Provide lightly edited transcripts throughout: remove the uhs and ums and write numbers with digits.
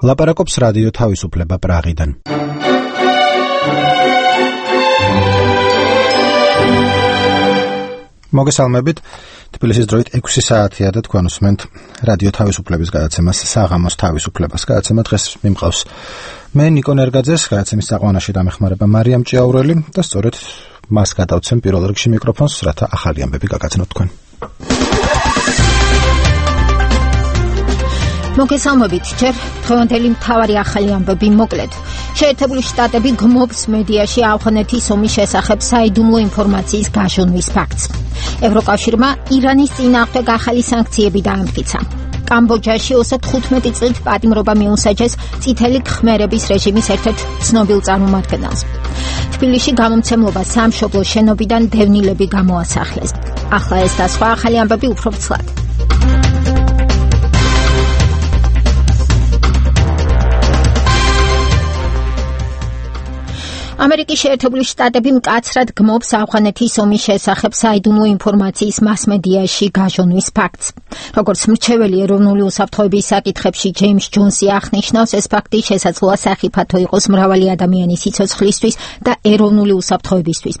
ლაპარაკობს რადიო თავისუფლება პრაღიდან. მოგესალმებით. თბილისის დროით 6 საათია და თქვენ უსმენთ რადიო თავისუფლების გადაცემას საღამოს თავისუფლებას. გადაცემა დღეს მიმყავს მე ნიკო ნერგაძეს, გადაცემის საყვანაში დამეხმარება მარიამ ჭიაურელი და სწორედ მას გადავცემ პირველ რიგში მიკროფონს, რათა ახალი ამბები გაგაცნოთ თქვენ. მოგესალმებით, ჯერ დღევანდელი მთავარი ახალი ამბები მოკლედ. შეერთებული შტატები გმობს მედიაში ავღანეთის ომის შესახებ საიდუმლო ინფორმაციის გაჟონვის ფაქტს. ევროკავშირმა ირანის წინააღმდეგ ახალი სანქციები დაამტკიცა. კამბოჯაში 25 წლით პატიმრობა მიუსაჯეს წითელი khmerების რეჟიმის ერთ-ერთ ცნობილ წარმომადგენელს. თბილისში გამომცემლობა სამშობლოს შენობიდან დევნილები გამოასახლეს. ახლა ეს და სხვა ახალი ამბები უფრო ცლად. ამერიკის შეერთებული შტატები მკაცრად გმობს ავღანეთის ომის შესახებ საიდუმლო ინფორმაციის მასმედიაში გაჟონვის ფაქტს. როგორც მრჩეველი ეროვნული უსაფრთხოების საკითხებში ჯეიმს ჯონსი აღნიშნავს, ეს ფაქტი შესაძლოა სახიფათო იყოს მრავალი ადამიანის სიცოცხლისთვის და ეროვნული უსაფრთხოებისთვის.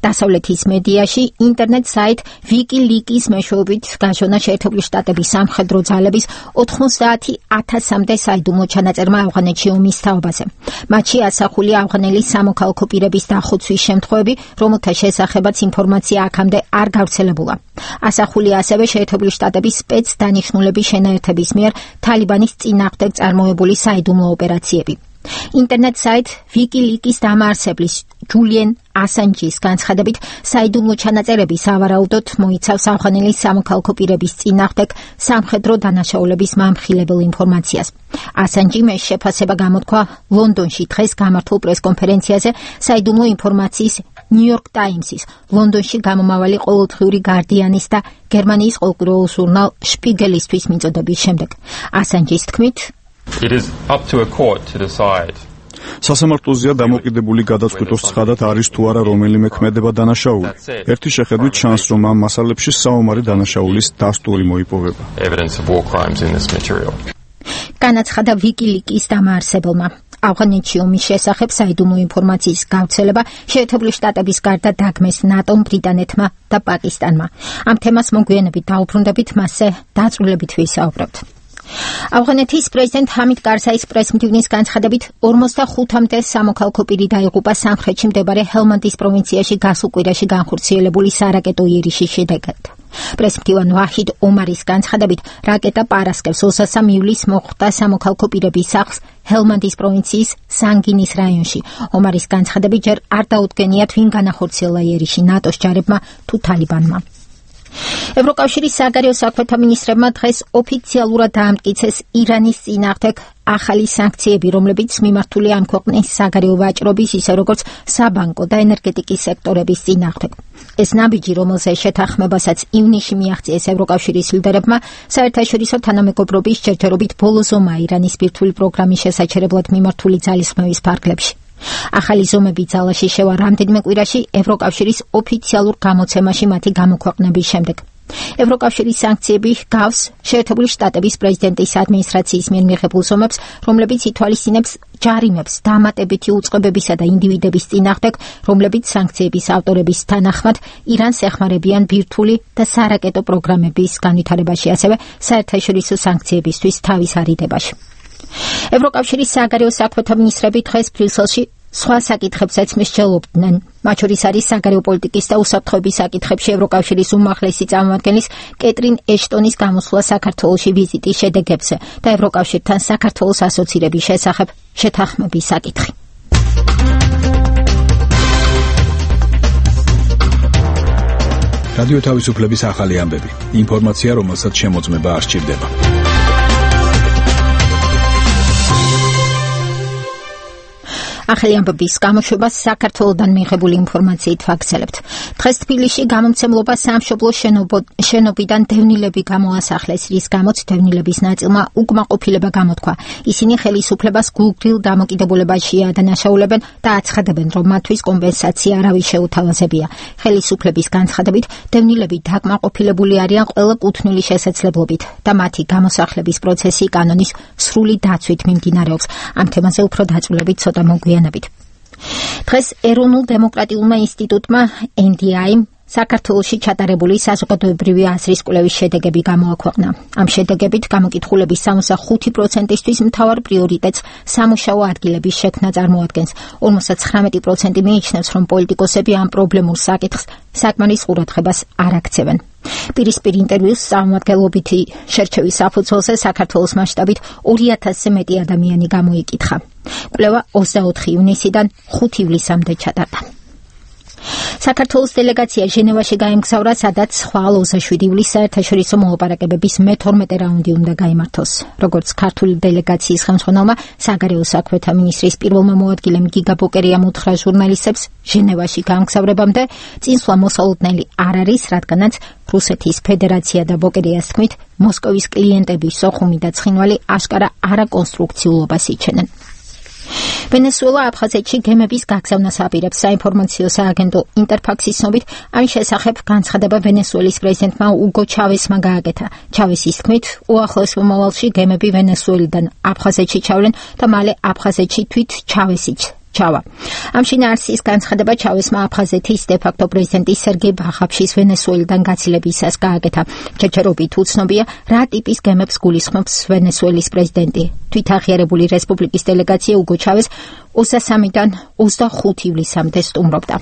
დასავლეთის მედიაში ინტერნეტ საიტ WikiLeaks მეშვეობით გაჟონა შეერთებული შტატების სამხედრო ძალების 90,000-მდე საიდუმლო ჩანაწერმა ავღანეთში ომის თაობაზე. მათში ასახული ავღანელის სამოქალაქო პირების დახოცვის შემთხვევები, რომელთა შესახებაც ინფორმაცია აქამდე არ გავრცელებულა. ასახული ასევე შეერთებული შტატების სპეცდანიშნულების შენაერთების მიერ თალიბანის წინააღმდეგ წარმოებული საიდუმლო ოპერაციები. ინტერნეტ საიტ WikiLeaks დამაარსებლის ჯულიენ ასანჯის განცხადებით, საიდუმლო ჩანაწერები სავარაუდოდ მოიცავს ავღანელის სამოქალაქო პირების წინააღმდეგ სამხედრო დანაშაულების მამხილებელ ინფორმაციას. ასანჯიმ ეს შეფასება გამოთქვა ლონდონში დღეს გამართულ პრესკონფერენციაზე საიდუმლო ინფორმაციის ნიუ-იორკ ტაიმსის, ლონდონში გამომავალი ყოველდღიური გარდიანის და გერმანიის ყოველდღიურ ჟურნალ შპიგელისთვის მიწოდების შემდეგ. ასანჯის თქმით, It is up to a court to decide. სასამართლოზეა დამოკიდებული გადაწყვიტოს ცხადად არის თუ არა რომელიმე ქმედება დანაშაული. ერთი შეხედვით ჩანს, რომ ამ მასალებში საომარი დანაშაულის დასტური მოიპოვება. Evidence of war crimes in this material. განაცხადა WikiLeaks დამაარსებელმა. ავღანეთში ომის შესახებ საიდუმლო ინფორმაციის გავრცელება შეერთებული შტატების გარდა დაგმეს ნატომ, ბრიტანეთმა და პაკისტანმა. ამ თემას მოგვიანებით დაუბრუნდებით, მასზე დაწვრილებით ვისაუბრებთ. ავღანეთის პრეზიდენტ ჰამიდ კარზაის პრესმდივნის განცხადებით 45-მდე სამოქალაქო პირი დაიღუპა სამხრეთში მდებარე ჰელმანდის პროვინციაში გასულ კვირაში განხორციელებული სარაკეტო იერიშის შედეგად. პრესმდივან ვაჰიდ ომარის განცხადებით, რაკეტა პარასკევს 23 ივლისს მოხვდა სამოქალაქო პირების სახლს ჰელმანდის პროვინციის სანგინის რაიონში. ომარის განცხადებით, ჯერ არ დაუდგენიათ ვინ განახორციელა იერიში, ნატოს ჯარებმა თუ თალიბანმა. ევროკავშირის საგარეო საქმეთა მინისტრებმა დღეს ოფიციალურად დაამტკიცეს ირანის წინააღმდეგ ახალი სანქციები, რომლებიც მიმართულია ამ ქვეყნის საგარეო ვაჭრობის, ისე როგორც საბანკო და ენერგეტიკის სექტორების წინააღმდეგ. ეს ნაბიჯი, რომელზეც შეთანხმებასაც ივნისში მიაღწიეს ევროკავშირის ლიდერებმა, საერთაშორისო თანამეგობრობის ჯერჯერობით ბოლო ზომაა ირანის ბირთვული პროგრამის შესაჩერებლად მიმართული ძალისხმევის ფარგლებში. ახალი ზომები ძალაში შევა რამდენიმე კვირაში ევროკავშირის ოფიციალურ გამოცემაში მათი გამოქვეყნების შემდეგ. ევროკავშირის სანქციები გავს შეერთებული შტატების პრეზიდენტის ადმინისტრაციის მიერ მიღებულ ზომებს, რომლებიც ითვალისწინებს ჯარიმებს დამატებითი უწყებებისა და ინდივიდების წინააღმდეგ, რომლებიც სანქციების ავტორების თანახმად ირანს ეხმარებიან ბირთვული და სარაკეტო პროგრამების განვითარებაში, ასევე საერთაშორისო სანქციებისთვის თავის არიდებაში. ევროკავშირის საგარეო საქმეთა მინისტრები დღეს ბრიუსელში სხვა საკითხებსაც მსჯელობდნენ. მათ შორის არის საგარეო პოლიტიკის და უსაფრთხოების საკითხებში ევროკავშირის უმაღლესი წარმომადგენლის კეტრინ ეშტონის გამოსვლა საქართველოში ვიზიტის შედეგებზე და ევროკავშირთან საქართველოს ასოცირების შესახებ შეთანხმების საკითხი. რადიო თავისუფლების ახალი ამბები. ინფორმაცია, რომელსაც შემოწმება არ სჭირდება. ახალი ამბების გამოშვებას საქართველოდან მიღებული ინფორმაციით ვაგრძელებთ. დღეს თბილისში გამომცემლობა სამშობლო შენობიდან დევნილები გამოასახლეს, რის გამოც დევნილების ნაწილმა უკმაყოფილება გამოთქვა. ისინი ხელისუფლებას გულგრილ დამოკიდებულებაში ადანაშაულებენ და აცხადებენ, რომ მათთვის კომპენსაცია არავის შეუთავაზებია. ხელისუფლების განცხადებით, დევნილები დაკმაყოფილებული არიან ყველა კუთვნილი შესაძლებლობით და მათი გამოსახლების პროცესი კანონის სრული დაცვით მიმდინარეობს. ამ თემაზე უფრო დაწვრილებით ცოტა მოგვიანებით. დღეს ეროვნულ დემოკრატიულმა ინსტიტუტმა NDI-მ საქართველოში ჩატარებული საზოგადოებრივი აზრის კვლევის შედეგები გამოაქვეყნა. ამ შედეგებით გამოკითხულების 65%-ისთვის მთავარ პრიორიტეტს სამუშაო ადგილების შექმნა წარმოადგენს. 59% მიიჩნევს, რომ პოლიტიკოსები ამ პრობლემურ საკითხს საკმარის ყურადღებას არ აქცევენ. პირისპირ ინტერვიუს წარმომადგენლობითი შერჩევის საფუძველზე საქართველოს მასშტაბით 2000-ზე მეტი ადამიანი გამოიკითხა. კვლევა 24 ივნისიდან 5 ივლისამდე ჩატარდა. საქართველოს დელეგაცია ჟენევაში გაემგზავრა, სადაც ხვალ 27 ივლისს საერთაშორისო მოლაპარაკებების მე-12 რაუნდი უნდა გაიმართოს. როგორც ქართული დელეგაციის ხელმძღვანელმა საგარეო საქმეთა მინისტრის პირველმა მოადგილემ გიგა ბოკერიამ უთხრა ჟურნალისტებს, ჟენევაში გამგზავრებამდე წინსვლა მოსალოდნელი არ არის, რადგანაც რუსეთის ფედერაცია და ბოკერიას თქმით, მოსკოვის კლიენტების სოხუმი და ცხინვალი აშკარა არაკონსტრუქციულობას იჩენენ. ვენესუელა აფხაზეთში გემების გაგზავნას აპირებს. საინფორმაციო სააგენტო ინტერფაქსის ცნობით, ამის შესახებ განცხადება ვენესუელის პრეზიდენტმა უგო ჩავესმა გააკეთა. ჩავესის თქმით, უახლოეს მომავალში გემები ვენესუელიდან აფხაზეთში ჩავლენ და მალე აფხაზეთში თვით ჩავესიც ჩავა. ამ შინაარსის განცხადება ჩავესმა აფხაზეთის დე-ფაქტო პრეზიდენტი სერგეი ბახაფშის ვენესუელიდან გაცილებისას გააკეთა. ჩეჩერობით უცნობია, რა ტიპის გემებს გულისხმობს ვენესუელის პრეზიდენტი. თვითაღიარებული რესპუბლიკის დელეგაცია უგო ჩავეს 23-დან 25 ივლისამდე სტუმრობდა.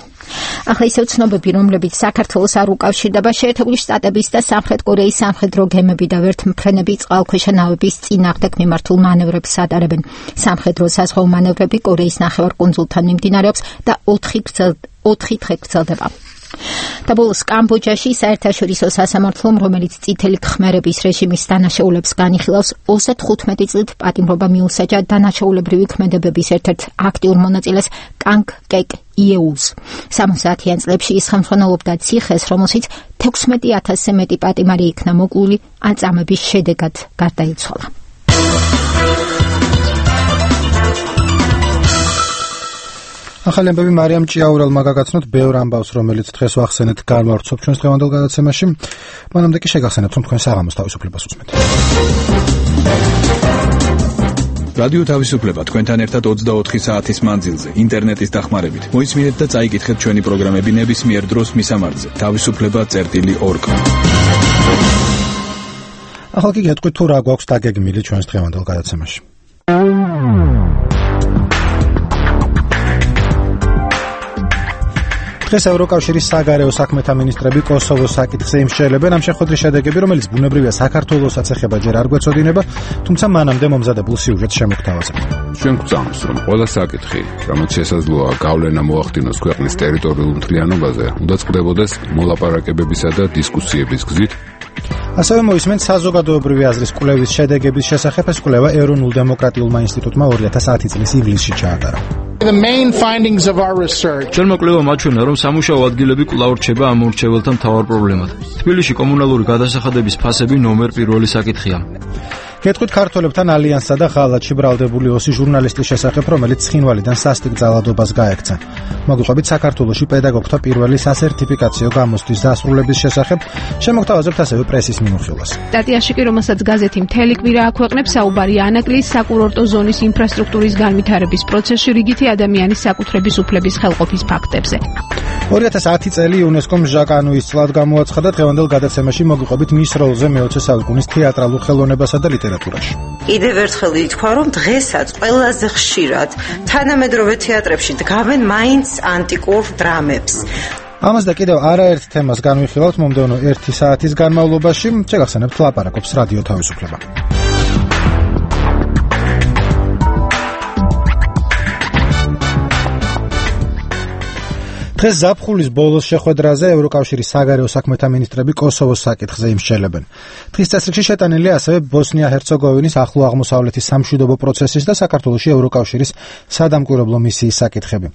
ახლა ისევ ცნობები, რომლებიც საქართველოს არ უკავშირდება, შეერთებული შტატების და სამხრეთ კორეის სამხედრო გემები და ვერთმფრენები წყალქვეშა ნავების წინააღმდეგ მიმართულ მანევრებს ატარებენ. სამხედრო საზღვაო მანევრები კორეის ნახევარკუნძულთან მიმდინარეობს და 4 დღე გრძელდება. და ბოლოს კამბოჯაში საერთაშორისო სასამართლომ, რომელიც წითელი ქმერების რეჟიმის დანაშაულებს განიხილავს, 35 წლით პატიმრობა მიუსაჯა დანაშაულებრივი ქმედებების ერთ-ერთ აქტიურ მონაწილეს კანგ კეკ იეულს. 70-იან წლებში ის ხელმძღვანელობდა ციხეს, რომელშიც 16,000-ზე მეტი პატიმარი იქნა მოკლული, ან წამების შედეგად გარდაიცვალა. ახალი ამბები მარიამ ჭიაურელმა გაგაცნოთ ბევრ ამბავს, რომელიც დღეს ვახსენეთ გამავრცობ ჩვენს დღევანდელ გადაცემაში. მანამდე კი შეგახსენებთ, რომ თქვენ საღამოს თავისუფლებას უსმენთ. რადიო თავისუფლება თქვენთან ერთად 24 საათის მანძილზე, ინტერნეტის დახმარებით. მოისმინეთ და წაიკითხეთ ჩვენი პროგრამები ნებისმიერ დროს მისამართზე. თავისუფლება.org. ახლა კი გეტყვით, თუ რა გვაქვს დაგეგმილი ჩვენს დღევანდელ გადაცემაში. დღეს ევროკავშირის საგარეო საქმეთა მინისტრები კოსოვოს საკითხზე იმსჯელებენ. ამ შეხვედრის შედეგები, რომელიც ბუნებრივია საქართველოსაც ეხება, ჯერ არ გვეწოდინება, თუმცა მანამდე მომზადებულ სიუჟეტს შემოგთავაზებთ. ჩვენ გვწამს, რომ ყველა საკითხი, რომელიც შესაძლოა გავლენა მოახდინოს ქვეყნის ტერიტორიულ მთლიანობაზე, უნდა წყდებოდეს მოლაპარაკებებისა და დისკუსიების გზით. ასევე მოისმენთ საზოგადოებრივი აზრის კვლევის შედეგების შესახებ. ეს კვლევა ეროვნულ დემოკრატიულმა ინსტიტუტმა 2010 წლის ივლისში ჩაატარა. The main findings of our research. Ჩვენმა კვლევამ აჩვენა, რომ სამუშაო ადგილები კვლავ რჩება ამ მორჩეველთა მთავარ პრობლემად. თბილისში კომუნალური გადასახადების ფასები ნომერ პირველი საკითხია. გეტყვით ქართველებთან ალიანსსა და ღალატში ბრალდებული ოსი ჟურნალისტის შესახებ, რომელიც ცხინვალიდან სასტიკ ძალადობას გაექცა. მოგიყვებით საქართველოში პედაგოგთა პირველი სასერტიფიკაციო გამოსთვის დასრულების შესახებ, შემოგთავაზებთ ასევე პრესის მიმოხილვას. სტატიაში კი, რომელსაც გაზეთი მთელი კვირა აქვეყნებს, საუბარია ანაკლის საკურორტო ზონის ინფრასტრუქტურის განვითარების პროცესში რიგითი ადამიანის საკუთრების უფლების ხელყოფის ფაქტებზე. 2010 წელი იუნესკომ ჟაკანუის წლად გამოაცხადა. დღევანდელ გადაცემაში მოგიყვებით მის როლზე მე-20 საუკუნის თეატრალურ ხელოვნებასა და ლიტერატურაში. კიდევ ერთხელ ითქვა, რომ დღესაც ყველაზე ხშირად თანამედროვე თეატრებში დგავენ მაინც ანტიკურ დრამებს. ამას და კიდევ არაერთ თემას განვიხილავთ მომდევნო 1 საათის განმავლობაში. შეგახსენებთ, ლაპარაკობს რადიო თავისუფლება. დღეს ზაფხულის ბოლოს შეხვედრაზე ევროკავშირის საგარეო საქმეთა მინისტრები კოსოვოს საკითხზე იმსჯელებენ. დღის წესრიგში შეტანილია ასევე ბოსნია-ჰერცეგოვინის ახლო აღმოსავლეთის სამშვიდობო პროცესის და საქართველოში ევროკავშირის სადამკვირვებლო მისიის საკითხები.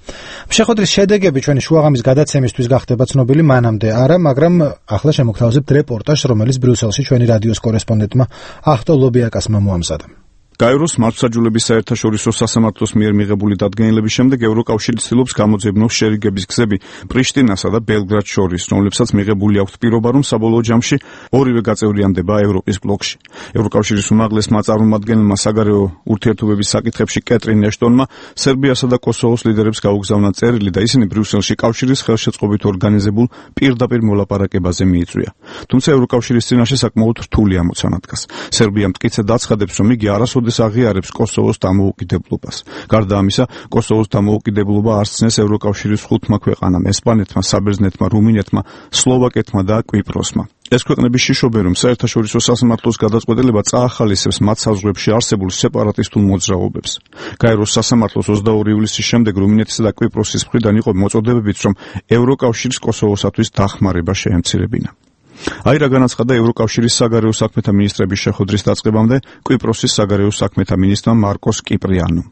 შეხვედრის შედეგები ჩვენი შუაღამის გადაცემისთვის გახდება ცნობილი მანამდე არა, მაგრამ ახლა შემოგთავაზებთ რეპორტაჟს, რომელიც ბრიუსელში ჩვენი რადიოს კორესპონდენტმა ახტო ლობიაკასმა მოამზადა. გაეროს მართლმსაჯულების საერთაშორისო სასამართლოს მიერ მიღებული დადგენილების შემდეგ ევროკავშირი ცდილობს გამოძებნოს შერიგების გზები პრიშტინასა და ბელგრადს შორის, რომლებსაც მიღებული აქვს პირობა, რომ საბოლოო ჯამში ორივე გაწევრიანდება ევროპის ბლოკში. ევროკავშირის უმაღლესმა წარმომადგენელმა საგარეო ურთიერთობების საკითხებში კეტრინ ეშტონმა სერბიასა და კოსოვოს ლიდერებს გაუგზავნა წერილი და ისინი ბრიუსელში კავშირის ხელშეწყობით ორგანიზებულ პირდაპირ მოლაპარაკებაზე მიიწვია. თუმცა ევროკავშირის წინაშე საკმაოდ რთული ამოცანა დგას. სერბია მტკიცედ აცხადებს, რომ იგი არასოდეს აღიარებს კოსოვოს დამოუკიდებლობას. გარდა ამისა, კოსოვოს დამოუკიდებლობა არ ცნეს ევროკავშირის 5 ქვეყანამ: ესპანეთმა, საბერძნეთმა, რუმინეთმა, სლოვაკეთმა და კვიპროსმა. ეს ქვეყნები შიშობენ, რომ საერთაშორისო სასამართლოს გადაწყვეტილება წაახალისებს მათ საზღვრებში არსებულ სეპარატისტულ მოძრაობებს. გაეროს სასამართლოს 22 ივლისის შემდეგ რუმინეთისა და კვიპროსის მხრიდან იყო მოწოდებებიც, რომ ევროკავშირს კოსოვოსათვის დახმარება შეემცირებინა. აირა განაცხადა ევროკავშირის საგარეო საქმეთა მინისტრების შეხვედრის დაწყებამდე კვიპროსის საგარეო საქმეთა მინისტრმა მარკოს კიპრიანომ.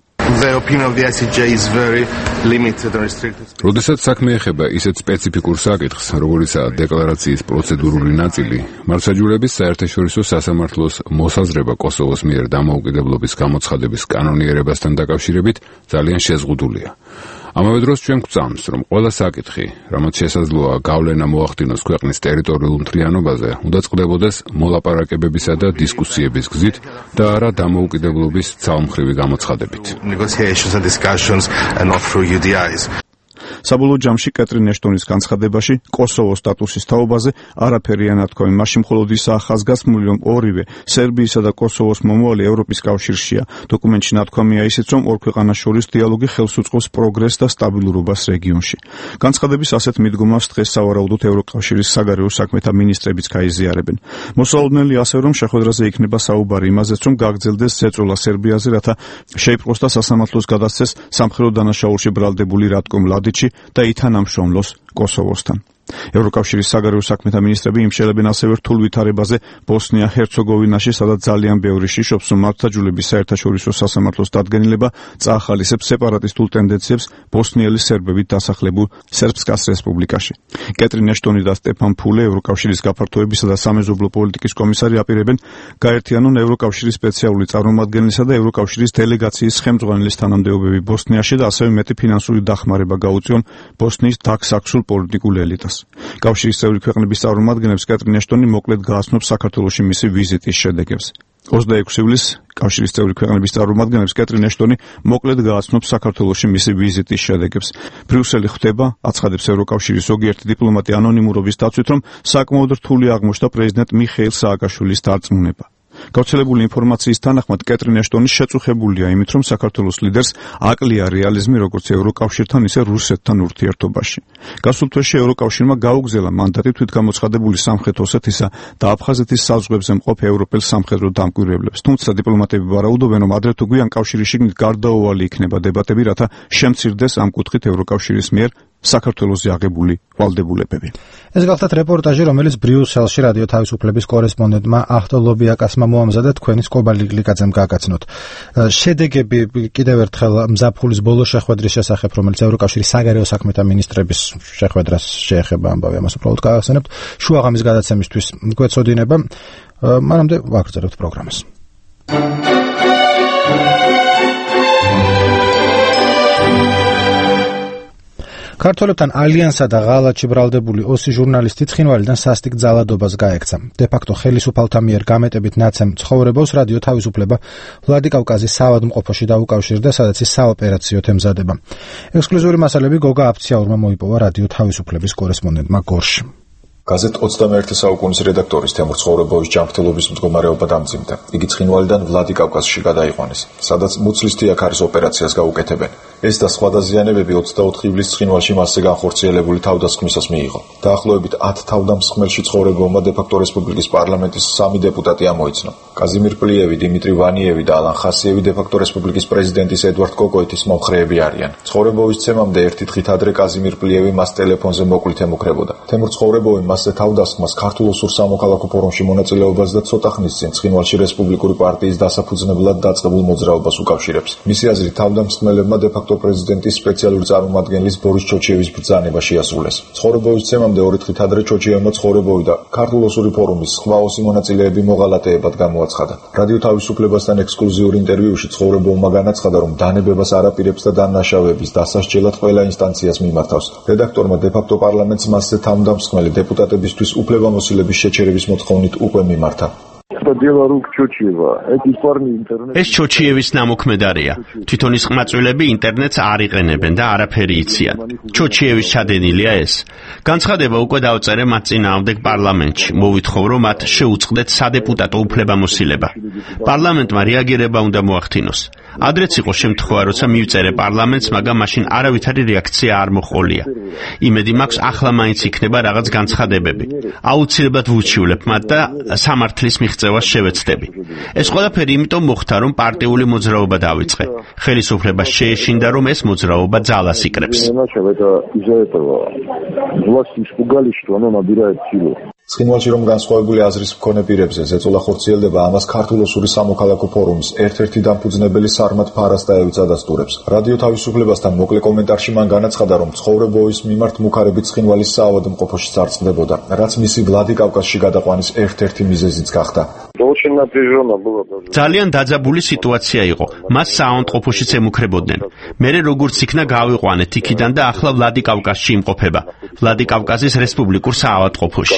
როდესაც საქმე ეხება ისეთ სპეციფიკურ საკითხს, როგორიცაა დეკლარაციის პროცედურული ნაწილი, მართლმსაჯულების საერთაშორისო სასამართლოს მოსაზრება კოსოვოს მიერ დამოუკიდებლობის გამოცხადების კანონიერებასთან დაკავშირებით ძალიან შეზღუდულია. ამავე დროს ჩვენ გვწამს, რომ ყველა საკითხი, რამაც შესაძლოა გავლენა მოახდინოს ქვეყნის ტერიტორიულ მთლიანობაზე, უნდა წყდებოდეს მოლაპარაკებებისა და დისკუსიების გზით და არა დამოუკიდებლობის ძალმხრივი გამოცხადებით. საბოლოო ჯამში კეტრინ ეშტონის განცხადებაში კოსოვოს სტატუსის თაობაზე არაფერი ანათქვამი, მაშინ მხოლოდ ისაა ხაზგასმული, რომ ორივე სერბიისა და კოსოვოს მომავალი ევროპის კავშირშია. დოკუმენტში ნათქვამია ისიც, რომ ორ ქვეყანას შორის დიალოგი ხელს უწყობს პროგრესს და სტაბილურობას რეგიონში. განცხადების ასეთ მიდგომას დღეს სავარაუდოდ ევროკავშირის საგარეო საქმეთა მინისტრებიც გაიზიარებენ. მოსალოდნელი ასევე, რომ შეხვედრაზე იქნება საუბარი იმაზეც, რომ გაგრძელდეს ზეწოლა სერბიაზე, რათა შეიპყროს და სასამართლოს გადასცეს სამხედრო დანაშაულში ბრალდებული რატკო მლადიჩი და ითანამშრომლოს კოსოვოსთან. ევროკავშირის საგარეო საქმეთა მინისტრები იმშელებენ ასევე რთულ ვითარებაზე ბოსნია-ჰერცეგოვინაში, სადაც ძალიან ბევრი შიშობს, რომ მართლმსაჯულების საერთაშორისო სასამართლოს დადგენილება წაახალისებს სეპარატისტულ ტენდენციებს ბოსნიელი სერბებით დასახლებულ სერბსკას რესპუბლიკაში. კეტრინ ეშტონი და სტეფან ფულე, ევროკავშირის გაფართოებისა და სამეზობლო პოლიტიკის კომისარი, აპირებენ გაერთიანონ ევროკავშირის სპეციალური წარმომადგენლისა და ევროკავშირის დელეგაციის ხელმძღვანელის თანამდებობები ბოსნიაში და ასევე მეტი ფინანსური დახმარება გაუწიონ ბოსნიის დაქსაქსულ პოლიტიკურ ელიტას. კავშირის წევრი ქვეყნების წარმომადგენლებს კეტრინ ეშტონი მოკლედ გააცნობს საქართველოში მისი ვიზიტის შედეგებს. 26 ივლისს კავშირის წევრი ქვეყნების წარმომადგენლებს კეტრინ ეშტონი მოკლედ გააცნობს საქართველოში მისი ვიზიტის შედეგებს. ბრიუსელი ხვდება, აცხადებს ევროკავშირის ზოგიერთი დიპლომატი ანონიმურობის დაცვით, რომ საკმაოდ რთული აღმოჩნდა პრეზიდენტ მიხეილ სააკაშვილის დარწმუნება. გავრცელებული ინფორმაციის თანახმად კეტრინ ეშტონი შეწუხებულია იმით, რომ საქართველოს ლიდერს აკლია რეალიზმი როგორც ევროკავშირთან, ისე რუსეთთან ურთიერთობაში. გასულ თვეში ევროკავშირმა გაუგზავნია მანდატი თვითგამოცხადებული სამხრეთ ოსეთისა და აფხაზეთის საზღვრებზე მყოფ ევროპელ სამხედრო დამკვირვებლებს. თუმცა დიპლომატები ვარაუდობენ, რომ ადრე თუ გვიან კავშირის შიგნით გარდაუვალი იქნება დებატები, რათა შემცირდეს ამ კუთხით ევროკავშირის მიერ საქართველოზე აღებული ვალდებულებები. ეს გახლდათ რეპორტაჟი, რომელიც ბრიუსელში რადიო თავისუფლების კორესპონდენტმა ახტო ლობიაკასმა მოამზადა, თქვენი სკობა ლიგლიკაძემ გაგაცნოთ. შედეგები კიდევ ერთხელ ზაფხულის ბოლოს შეხვედრის შესახებ, რომელიც ევროკავშირის საგარეო საქმეთა მინისტრების შეხვედრას შეეხება, ამბავი ამას უბრალოდ გაგახსენებთ. შუაღამის გადაცემისთვის გვეცოდინება. მანამდე ვაგრძელებთ პროგრამას. ქართველებთან ალიანსა და ღალატში ბრალდებული 20 ჟურნალისტი ცხინვალიდან სასტიკ ძალადობას გაექცა. დე-ფაქტო ხელისუფალთა მიერ გამეტებით ნაცემ ცხოვრებას რადიო თავისუფლება ვლადიკავკაზის საავადმყოფოში დაუკავშირდა, სადაც ის საოპერაციოდ ემზადება. ექსკლუზიური მასალები გოგა აფციაურმა მოიპოვა რადიო თავისუფლების კორესპონდენტმა გორში. გაზეთ 21 საუკუნის რედაქტორის თემურ ცხოვრებოვის ჯანმრთელობის მდგომარეობა დამძიმდა. იგი ცხინვალიდან ვლადიკავკაზში გადაიყვანეს, სადაც მუცლის თიაქარის ოპერაციას გაუკეთებენ. ეს და სხვა დაზიანებები 24 ივლისს ცხინვალში მასზე განხორციელებული თავდასხმისას მიიღო. დაახლოებით 10 თავდამსხმელში ცხოვრებულმა დე-ფაქტო რესპუბლიკის პარლამენტის 3 დეპუტატი ამოიცნო. კაზიმირ პლიევი, დიმიტრი ვანიევი და ალან ხასიევი დე-ფაქტო რესპუბლიკის პრეზიდენტის ედვარდ კოკოიტის მომხრეები არიან. ცხოვრებოვის ცემამდე ერთი დღით ადრე კაზიმირ პლიევი მას ტელეფონზე მოკლით ემუქრებოდა. თემურ ცხოვრებოვი მასზე თავდასხმას ქართულ ოსურ სამოქალაქო ფორუმში მონაწილეობას და ცოტა ხნის წინ ცხინვალში რესპუბლიკური პარტიის დასაფუძნებლად დაწყებულ მოძრაობას უკავშირებს. მისი აზრით, თავდამსხმელებმა დე-ფაქტო პრეზიდენტის სპეციალური წარმომადგენლის ბორის ჩოჩიევის ბრძანება შეასრულეს. ცხოვრებოვის ცემამდე 2 დღით ადრე ჩოჩიევმა ცხოვრებოვი და ქართულ ოსური ფორუმის სხვა ოსი მონაწილეები მოღალატეებად გამოაცხადა. რადიო თავისუფლებასთან ექსკლუზიურ ინტერვიუში ცხოვრებოვმა განაცხადა, რომ დანებებას არ აპირებს და დანაშაუების დასასჯელად ყველა ინსტანციას მიმართავს. რედაქტორმა დე-ფაქტო პარლამენტს მასზე თავდამსხმელი დეპუტატებისთვის უფლებამოსილების შეჩერების მოთხოვნით უკვე მიმართა. ეს ჩოჩიევის ნამოქმედარია. თვითონ ის ყმაწვილები ინტერნეტს არ იყენებენ და არაფერი იციან. ჩოჩიევის ჩადენილია ეს. განცხადება უკვე დავწერე მათ წინააღმდეგ პარლამენტში. მოვითხოვ, რომ მათ შეუწყდეთ სადეპუტატო უფლებამოსილება. პარლამენტმა რეაგირება უნდა მოახდინოს. ადრეც იყო შემთხვევა, როცა მივწერე პარლამენტს, მაგრამ მაშინ არავითარი რეაქცია არ მოჰყოლია. იმედი მაქვს, ახლა მაინც იქნება რაღაც განცხადებები. აუცილებლად ვუჩივლებ მათ და სამართლის მიღწევას შევეცდები. ეს ყველაფერი იმიტომ მოხდა, რომ პარტიული მოძრაობა დავიწყე. ხელისუფლება შეეშინდა, რომ ეს მოძრაობა ძალას იკრებს. ცხინვალში რომ განსხვავებული აზრის მქონე პირებზე ზეწოლა ხორციელდება, ამას ქართულ ოსური სამოქალაქო ფორუმის ერთ-ერთი დამფუძნებელი სარმად ფარასტაევი წადასტურებს. რადიო თავისუფლებასთან მოკლე კომენტარში მან განაცხადა, რომ ცხოვრებოვის მიმართ მუქარებით ცხინვალის საავადმყოფოში წარწყდებოდა, რაც მისი ვლადიკავკაზში გადაყვანის ერთ-ერთი მიზეზიც გახდა. ძალიან დაძაბული სიტუაცია იყო. მას საავადმყოფოშიც ემუქრებოდნენ. მერე როგორც იქნა გავიყვანეთ იქიდან და ახლა ვლადიკავკაზში იმყოფება. ვლადიკავკაზის რესპუბლიკურ საავადმყოფოში.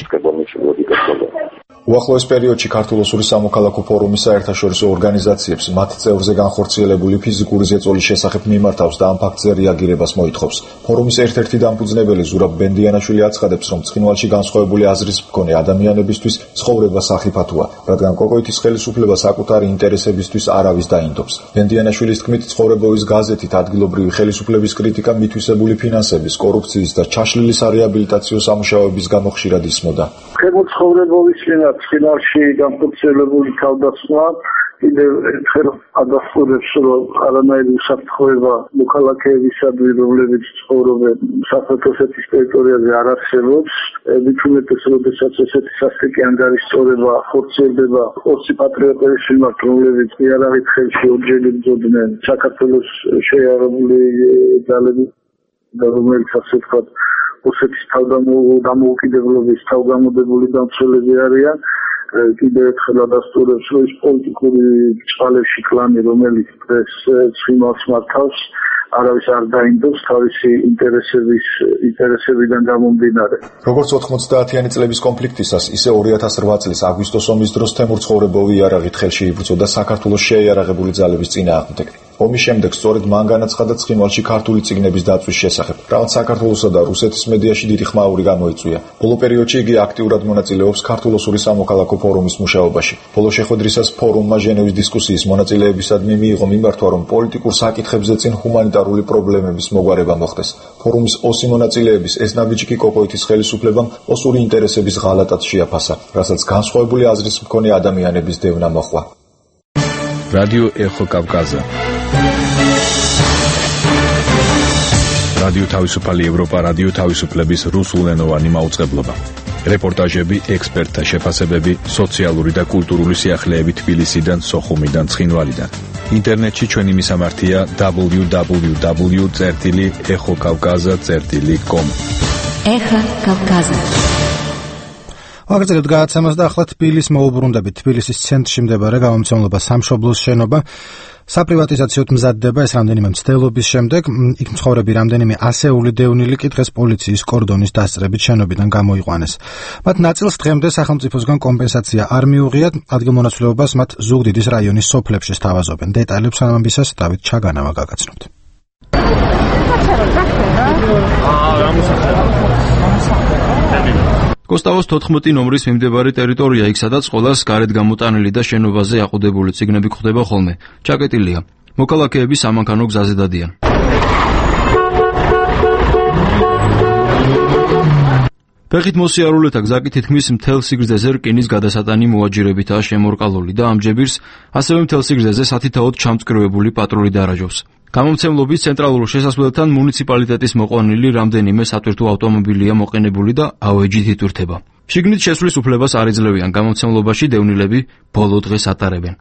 უახლოეს პერიოდში ქართულ ოსური სამოქალაქო ფორუმის საერთაშორისო ორგანიზაციებს მათ წევრზე განხორციელებული ფიზიკური ზეწოლის შესახებ მიმართავს და ამ ფაქტზე რეაგირებას მოითხოვს. ფორუმის ერთ-ერთი დამფუძნებელი ზურაბ ბენდიანაშვილი აცხადებს, რომ ცხინვალში განსხვავებული აზრის მქონე ადამიანებისთვის ცხოვრება სახიფათოა, რადგან კოკოიტის ხელისუფლება საკუთარი ინტერესებისთვის არავის დაინდობს. ბენდიანაშვილის თქმით, ცხოვრებოვის გაზეთით ადგილობრივი ხელისუფლების კრიტიკა მითვისებული ფინანსების, კორუფციის და ჩაშლილი სარეაბილიტაციო სამუშაოების გამო ხშირად ისმოდა. ხელმძღვანელობის ცხინვალში განხორციელებული თავდასხმა კიდევ ერთხელ ადასტურებს, რომ არანაირი უსაფრთხოება მოქალაქეებისადმი, რომლებიც ცხოვრობენ საქართველოს ტერიტორიაზე, არ არსებობს. მithumetes, როდესაც ესეთი სასტიკი ანგარიშწორება ხორციელდება ოსი პატრიოტების მიმართ, რომლებიც იარაღით ხელში ორჯერ იბრძოდნენ საქართველოს შეიარაღებული ძალების და რომელიც ასე ვთქვათ ოსეთის თავდამოუკიდებლობის თავგამოდებული დამცველები არიან. კიდევ ერთხელ ადასტურებს, რომ ის პოლიტიკური წყალებში კლანი, რომელიც დღეს ცხინვალს მართავს, არავის არ დაინდობს თავისი ინტერესებიდან გამომდინარე. როგორც 90-იანი წლების კონფლიქტისას, ისე 2008 წლის აგვისტოს ომის დროს თემურ ცხოვრებოვი იარაღით ხელში იბრძოდა საქართველოს შეიარაღებული ძალების წინააღმდეგ. ომის შემდეგ სწორედ მან განაცხადა ცხინვალში ქართული წიგნების დაცვის შესახებ, რაც საქართველოსა და რუსეთის მედიაში დიდი ხმაური გამოიწვია. ბოლო პერიოდში იგი აქტიურად მონაწილეობს ქართულ ოსური სამოქალაქო ფორუმის მუშაობაში. ბოლო შეხვედრისას ფორუმმა ჟენევის დისკუსიის მონაწილეებისადმი მიიღო მიმართვა, რომ პოლიტიკურ საკითხებზე წინ ჰუმანიტარული პრობლემების მოგვარება მოხდეს. ფორუმის ოსი მონაწილეების ეს ნაბიჯი კოკოიტის ხელისუფლებამ ოსური ინტერესების ღალატად შეაფასა, რასაც განსხვავებული აზრის მქონე ადამიანების დევნა მოჰყვა. რადიო ეხო კავკაზა. რადიო თავისუფალი ევროპა, რადიო თავისუფლების რუსულენოვანი მაუწყებლობა. რეპორტაჟები, ექსპერტთა შეფასებები, სოციალური და კულტურული სიახლეები თბილისიდან, სოხუმიდან, ცხინვალიდან. ინტერნეტში ჩვენი მისამართია www.ეხოკავკაზა.com. ეხა კავკაზა. ვაგრძელებთ გადაცემას და ახლა თბილის მოუბრუნდებით. თბილისის ცენტრში მდებარე გამომცემლობა სამშობლოს შენობა საპრივატიზაციოდ მზადდება. ეს რამდენიმე მცდელობის შემდეგ იქ მცხოვრები რამდენიმე ასეული დევნილი კი დღეს პოლიციის კორდონის დასწრებით შენობიდან გამოიყვანეს. მათ ნაწილს დღემდე სახელმწიფოსგან კომპენსაცია არ მიუღიათ, ადგილმონაცვლეობას მათ ზუგდიდის რაიონის სოფლებში სთავაზობენ. დეტალებს ამბისას დავით ჩაგანავა გაგაცნობთ. კოსტავოს 14 ნომრის მიმდებარე ტერიტორია, იქ სადაც ყველას გარეთ გამოტანილი და შენობაზე აყუდებული წიგნები გვხვდება ხოლმე. ჩაკეტილია. მოქალაქეები სამანქანო გზაზე დადიან. ფეხით მოსიარულეთა გზაკი თითქმის მთელ სიგრძეზე რკინის გადასატანი მოაჯირებითაა შემორკალული და ამ ჯებირს ასევე მთელ სიგრძეზე სათითაოდ ჩამწკრივებული პატრული დაარაჯობს. გამომცემლობის ცენტრალურ შესასვლელთან მუნიციპალიტეტის მოყვანილი რამდენიმე სატვირთო ავტომობილია მოყენებული და ავეჯით იტვირთება. შიგნით შესვლის უფლებას არ ეძლევიან გამომცემლობაში დევნილები ბოლო დღეს ატარებენ.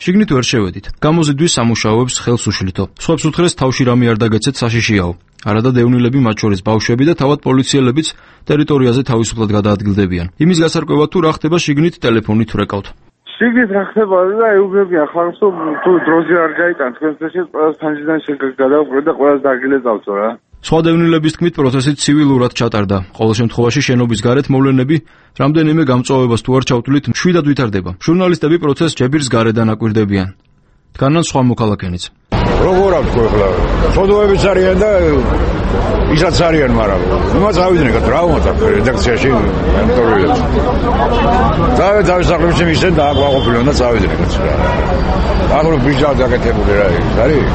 შიგნით ვერ შევედით. გამოზიდვის სამუშაოებს ხელს უშლითო. სხვებს უთხრეს თავში რამე არ დაგეცეთ საშიშიაო. არადა დევნილები მათ შორის ბავშვები და თავად პოლიციელებიც ტერიტორიაზე თავისუფლად გადაადგილდებიან. იმის გასარკვევად თუ რა ხდება შიგნით ტელეფონით ვრეკავთ. შიგნით რა ხდება და ეუბნებიან ხალხს თუ დროზე არ გაიტან თქვენს წესით ყველას ფანჯიდან გადავყრეთ და ყველას დაგილეწავთო რა. სხვა დევნილების თქმით პროცესი ცივილურად ჩატარდა. ყოველ შემთხვევაში შენობის გარეთ მოვლენები რამდენიმე გამწვავებას თუ არ ჩავთვლით მშვიდად ვითარდება. ჟურნალისტები პროცესს ჯებირს გარედან აკვირდებიან. დგანან სხვა მოქალაქენიც. როგორ აქვს ახლა? სოდოებიც არიან და ისაც არიან, მაგრამ იმას ავიდნენ რა უნდა რედაქციაში ამტორებს. დავისახლებს ისე დააკვაყოფილონ და წავიდნენ რა. აღრო ბიჭა დაკეთებული რა არის?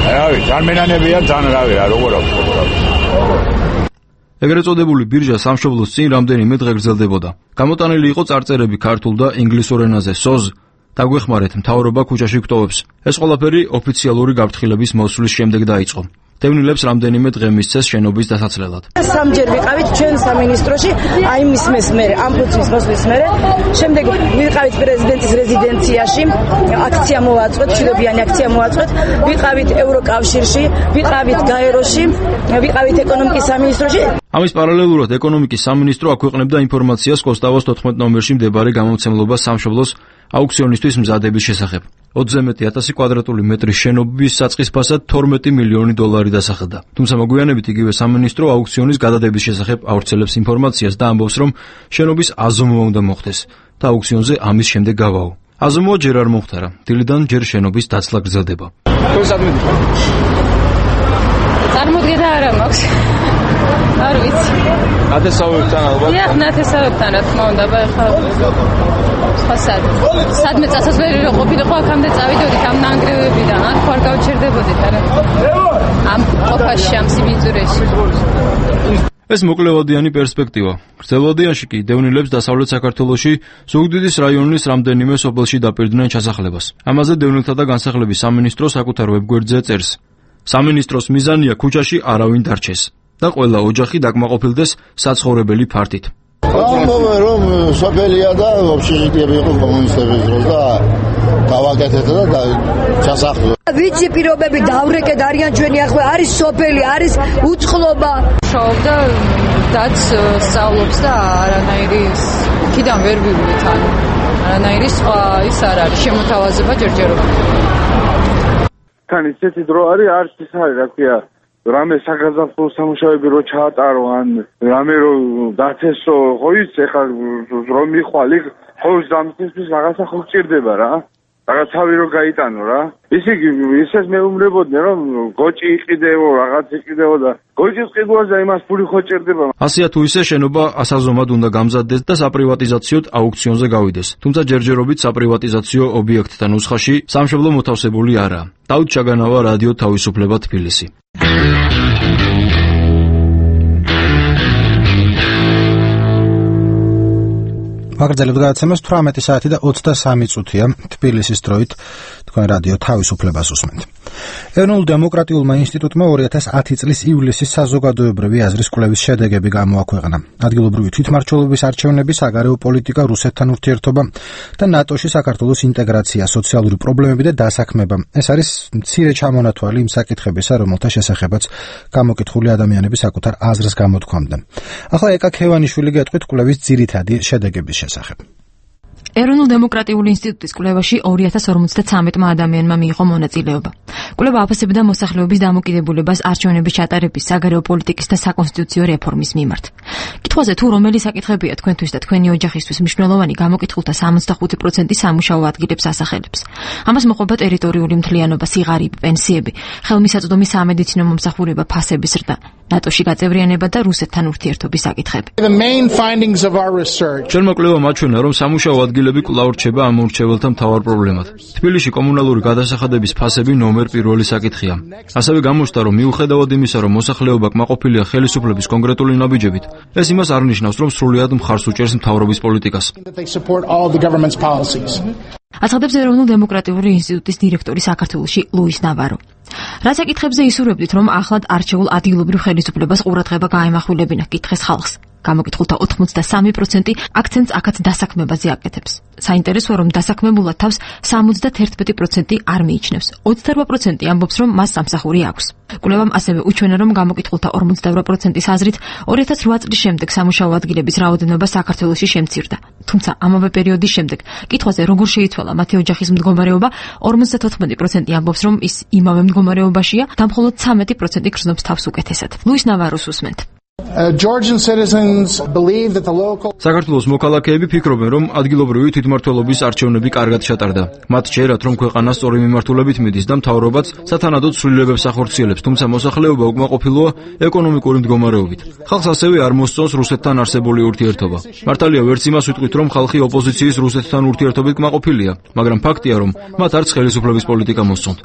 აი, წარმენანებია თან რავი რა, როგორ აქვს? ეგრეთ წოდებული ბირჟა სამშობლოს წინ რამდენიმე დღე გრძელდებოდა. გამოტანილი იყო წარწერები ქართულ და ინგლისურ ენაზე. სოზ დაგვეხმარეთ, მთავრობა ქუჩაში გვტოვებს. ეს ყველაფერი ოფიციალური გაფრთხილების მოსვლის შემდეგ დაიწყო. დევნილებს რამდენიმე დღე მისცეს შენობის დასაცლელად. სამჯერ ვიყავით ჩვენ სამინისტროში, აი მისმეს მერე, ამ ფუძის მოსვლის მერე, შემდეგ ვიყავით პრეზიდენტის რეზიდენციაში, აქცია მოვაწყვეთ, მშვიდობიანი აქცია მოვაწყვეთ, ვიყავით ევროკავშირში, ვიყავით გაეროში, ვიყავით ეკონომიკის სამინისტროში. ამის პარალელურად ეკონომიკის სამინისტრო აქვეყნებდა ინფორმაციას კოსტავოს 14 ნომერში მდებარე გამომცემლობა სამშობლოს აუქციონისთვის მზადების შესახებ. 21,000 კვადრატული მეტრის შენობის საწყის ფასად 12 მილიონი დოლარი დასახელდა. თუმცა მოგვიანებით იგივე სამინისტრო აუქციონის გადადების შესახებ ავრცელებს ინფორმაციას და ამბობს, რომ შენობის აზომვა უნდა მოხდეს და აუქციონზე ამის შემდეგ გავაო. აზომვა ჯერ არ მომხდარა. დილიდან ჯერ შენობის დაცლა გრძელდება. წარმოდგენა არა მაქვს. არ ვიცი. ნათესავებთან ალბათ. დიახ, ნათესავებთან რა თქმა უნდა, ხა სადმე წასასვლელი რო ყოფილიყო, აქამდე წავიდოდით ამ ნანგრევებიდან, ან ხარ გავჩერდებოდით არა. ამ ყოფაში, ამ სიბიძურეში. ეს მოკლევადიანი პერსპექტივა. გრძელვადიანში კი დევნილებს დასავლეთ საქართველოში ზუგდიდის რაიონის რამდენიმე სოფელში დაპირდნენ ჩასახლებას. ამაზე დევნილთა და განსახლების სამინისტრო საკუთარ ვებგვერდზე წერს. სამინისტროს მიზანია ქუჩაში არავინ დარჩეს და ყველა ოჯახი დაკმაყოფილდეს საცხოვრებელი ფართით. ამბობენ რომ სოფელია და ოფშიშიტები იყო კომუნისტების დროს და გავაკეთეთ და ჩასახლო. ვიცი პირობები დავრეკეთ არიან ჩვენი ახლა არის სოფელი, არის უცხლობა. შოვდა დაც სწავლობს და არანაირი ქიდან ვერ ვივით ან არანაირი სხვა ის არ არის შემოთავაზება ჯერჯერობით. თან ისეთი დრო არის არც ის არის რა ქვია რამე საგაზაფხულო სამუშაოები რო ჩაატარო ან რამე რო დაცესო ხო ის ეხლა რომ მიხვალ იქ ხო დამწესვის რაღაცა ხო გჭირდება რა რაღაცავი რო გაიტანო რა ისე ისეს მეუბნებოდნენ რომ გოჭი იყიდეო რაღაც იყიდეო და გოჭის ყიდვაზე იმას ფული ხო ჭირდება ასია თუ ისე შენობა ასაზომად უნდა გამზადდეს და საპრივატიზაციოდ აუქციონზე გავიდეს თუმცა ჯერჯერობით საპრივატიზაციო ობიექტთა ნუსხაში სამშობლო მოთავსებული არაა დავით ჩაგანავა რადიო თავისუფლება თბილისი მაგრძელებთ გადაცემას 18 საათი და 23 წუთია თბილისის დროით თქვენ რადიო თავისუფლებას უსმენთ. ეროვნულ დემოკრატიულმა ინსტიტუტმა 2010 წლის ივლისის საზოგადოებრივი აზრის კვლევის შედეგები გამოაქვეყნა. ადგილობრივი თვითმმართველობის არჩევნები, საგარეო პოლიტიკა, რუსეთთან ურთიერთობა და ნატოში საქართველოს ინტეგრაცია, სოციალური პრობლემები და დასაქმება. ეს არის მცირე ჩამონათვალი იმ საკითხებისა, რომელთა შესახებაც გამოკითხული ადამიანები საკუთარ აზრს გამოთქვამდნენ. ახლა ეკა ქევანიშვილი გეტყვით კვლევის ძირითადი შედეგების შესახებ. ეროვნულ დემოკრატიული ინსტიტუტის კვლევაში 2053 ადამიანმა მიიღო მონაწილეობა. კვლევა აფასებდა მოსახლეობის დამოკიდებულებას არჩევნების ჩატარების, საგარეო პოლიტიკის და საკონსტიტუციო რეფორმის მიმართ. კითხვაზე თუ რომელი საკითხებია თქვენთვის და თქვენი ოჯახისთვის მნიშვნელოვანი, გამოკითხულთა 65% სამუშაო ადგილებს ასახელებს. ამას მოყვება ტერიტორიული მთლიანობა, სიღარიბე, პენსიები, ხელმისაწვდომი სამედიცინო მომსახურება, ფასების ზრდა. ნატოში გაწევრიანება და რუსეთთან ურთიერთობის საკითხები. The main findings of our research. ჩვენმა კვლევამ აჩვენა, რომ სამუშაო ადგილები კვლავ რჩება ამ მორჩეველთა მთავარ პრობლემად. თბილისში კომუნალური გადასახადების ფასები ნომერ პირველი საკითხია. ასევე გამოჩნდა, რომ მიუხედავად იმისა, რომ მოსახლეობა კმაყოფილია ხელისუფლების კონკრეტული ნაბიჯებით, ეს იმას არ ნიშნავს, რომ სრულიად მხარს უჭერს მთავრობის პოლიტიკას. აცხადებს ეროვნულ დემოკრატიული ინსტიტუტის დირექტორი საქართველოში ლუის ნავარო. რა საკითხებზე ისურვებდით, რომ ახლად არჩეულ ადგილობრივ ხელისუფლებას ყურადღება გაემახვილებინა, კითხეს ხალხს. გამოკითხულთა 83% აქცენტს აქაც დასაქმებაზე აკეთებს. საინტერესოა, რომ დასაქმებულად თავს 71% არ მიიჩნევს. 28% ამბობს, რომ მას სამსახური აქვს. კვლევამ ასევე უჩვენა, რომ გამოკითხულთა 48%-ის აზრით 2008 წლის შემდეგ სამუშაო ადგილების რაოდენობა საქართველოში შემცირდა. თუმცა ამავე პერიოდის შემდეგ კითხვაზე როგორ შეიცვალა მათი ოჯახის მდგომარეობა, 54% ამბობს, რომ ის იმავე მდგომარეობაშია და მხოლოდ 13% გრძნობს თავს უკეთესად. ლუის ნავაროს უსმენთ. Georgian citizens believe that the local საქართველოს მოქალაქეები ფიქრობენ, რომ ადგილობრივი თვითმმართველობის არჩევნები კარგად ჩატარდა. მათ ჯერათ, რომ ქვეყანა სწორი მიმართულებით მიდის და მთავრობაც სათანადოდ ცვლილებებს ახორციელებს, თუმცა მოსახლეობა უკმაყოფილოა ეკონომიკური მდგომარეობით. ხალხს ასევე არ მოსწონს რუსეთთან არსებული ურთიერთობა. მართალია, ვერც იმას ვიტყვით, რომ ხალხი ოპოზიციის რუსეთთან ურთიერთობით კმაყოფილია, მაგრამ ფაქტია, რომ მათ არც ხელისუფლების პოლიტიკა მოსწონთ.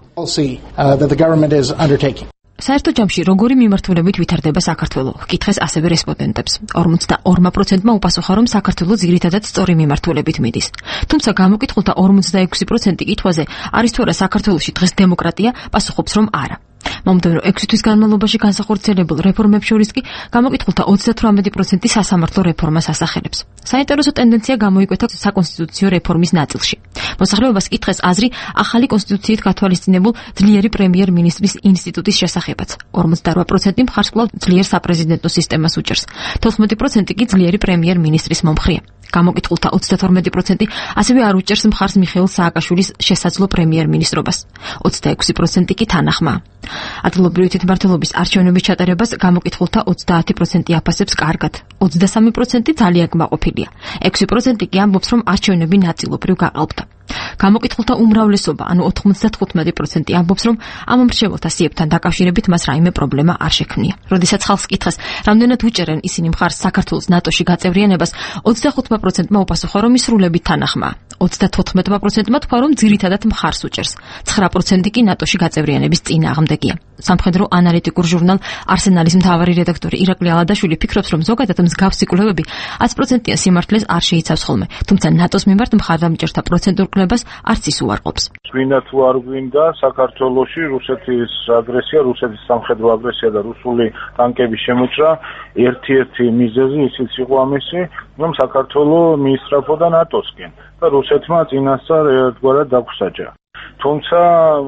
საერთო ჯამში როგორი მიმართულებით ვითარდება საქართველო? კითხეს ასევე რესპონდენტებს. 42%-მა უპასუხა, რომ საქართველო ძირითადად სწორი მიმართულებით მიდის. თუმცა გამოკითხულთა 46% კითხვაზე არის თუ არა საქართველოში დღეს დემოკრატია, პასუხობს, რომ არა. მომდევნო 6 თვის განმავლობაში განსახორციელებულ რეფორმებს შორის კი გამოკითხულთა 38% სასამართლო რეფორმას ასახელებს. საინტერესო ტენდენცია გამოიკვეთა საკონსტიტუციო რეფორმის ნაწილში. მოსახლეობას კითხეს აზრი ახალი კონსტიტუციით გათვალისწინებულ ძლიერი პრემიერ-მინისტრის ინსტიტუტის შესახებაც. 48% მხარს კვლავ ძლიერ საპრეზიდენტო სისტემას უჭერს. 14% კი ძლიერი პრემიერ-მინისტრის მომხრეა. გამოკითხულთა 32% ასევე არ უჭერს მხარს მიხეილ სააკაშვილის შესაძლო პრემიერ-მინისტრობას. 26% კი თანახმაა. ადგილობრივი თვითმმართველობის არჩევნების ჩატარებას გამოკითხულთა 30% აფასებს კარგად, 23% ძალიან კმაყოფილია. 6% კი ამბობს, რომ არჩევნები ნაწილობრივ გაყალბდა. გამოკითხულთა უმრავლესობა, ანუ 95% ამბობს, რომ ამ მრჩეველთა სიებთან დაკავშირებით მას რაიმე პრობლემა არ შექმნია. როდესაც ხალხს კითხეს, რამდენად უჭერენ ისინი მხარს საქართველოს ნატოში გაწევრიანებას, 25%-მა უპასუხა, რომ ისრულებით თანახმაა. 34%-მა თქვა, რომ ძირითადად მხარს უჭერს. 9% კი ნატოში გაწევრიანების წინააღმდეგია. სამხედრო ანალიტიკურ ჟურნალ არსენალის მთავარი რედაქტორი ირაკლი ალადაშვილი ფიქრობს, რომ ზოგადად მსგავსი კვლევები 100%-იან სიმართლეს არ შეიცავს ხოლმე, თუმცა ნატოს მიმართ მხარდამჭერთა პროცენტურ კვლევას არც ის უარყოფს. გვინდა თუ არ გვინდა საქართველოში რუსეთის აგრესია, რუსეთის სამხედრო აგრესია და რუსული ტანკების შემოჭრა, ერთ-ერთი მიზეზი ისიც იყო ამისი, რომ საქართველო მიისწრაფოდა ნატოსკენ და რუსეთმა წინასწარ ერთგვარად დაგვსაჯა. თუმცა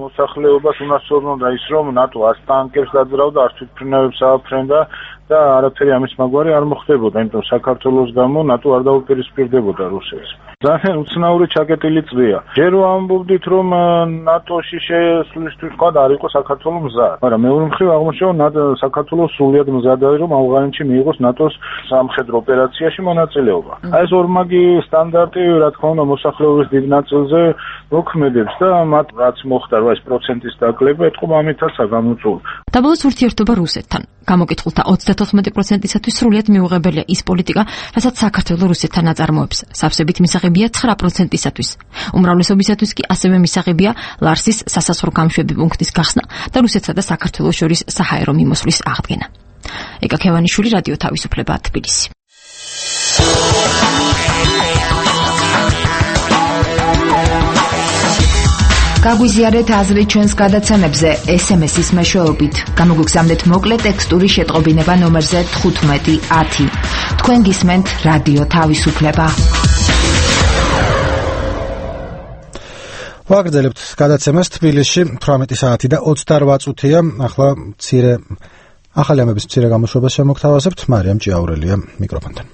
მოსახლეობას უნასწორნოდა ის, რომ ნატო არც ტანკებს დაძრავდა, არც თვითმფრინავებს ააფრენდა და არაფერი ამის მაგვარი არ მოხდებოდა, იმიტომ საქართველოს გამო ნატო არ დაუპირისპირდებოდა რუსეთს. ძალიან უცნაური ჩაკეტილი წრეა. ჯერ ვამბობდით, რომ ნატოში შესვლისთვის თქვა არ იყო საქართველოს მზად, მაგრამ მეორე მხრივ აღმოჩნდა, რომ საქართველოს სრულიად მზად არის, რომ ავღანეთში მიიღოს ნატოს სამხედრო ოპერაციაში მონაწილეობა. აი ეს ორმაგი სტანდარტი, რა თქმა უნდა, მოსახლეობის დიდ ნაწილზე მოქმედებს და მათ რაც მოხდა, რა ეს პროცენტის დაკლება, ეთქობა ამითაცაა გამოწვეული. დაბოლოს ურთიერთობა რუსეთთან. გამოკითხულთა 34%-ისათვის სრულიად მიუღებელია ის პოლიტიკა, რასაც საქართველო რუსეთთან აწარმოებს. სავსებით მისაღებია 9%-ისათვის. უმრავლესობისათვის კი ასევე მისაღებია ლარსის სასაზღვრო გამშვები პუნქტის გახსნა და რუსეთსა და საქართველოს შორის საჰაერო მიმოსვლის აღდგენა. ეკა ქევანიშვილი, რადიო თავისუფლება, თბილისი. გაგვიზიარეთ აზრი ჩვენს გადაცემებზე SMS-ის მეშვეობით. გამოგვიგზავნეთ მოკლე ტექსტური შეტყობინება ნომერზე 1510. თქვენ გისმენთ რადიო თავისუფლება. ვაგრძელებთ გადაცემას თბილისში 18 საათი და 28 წუთია. ახლა ახალი ამების მცირე გამოშვებას შემოგთავაზებთ. მარიამ ჭიაურელია მიკროფონთან.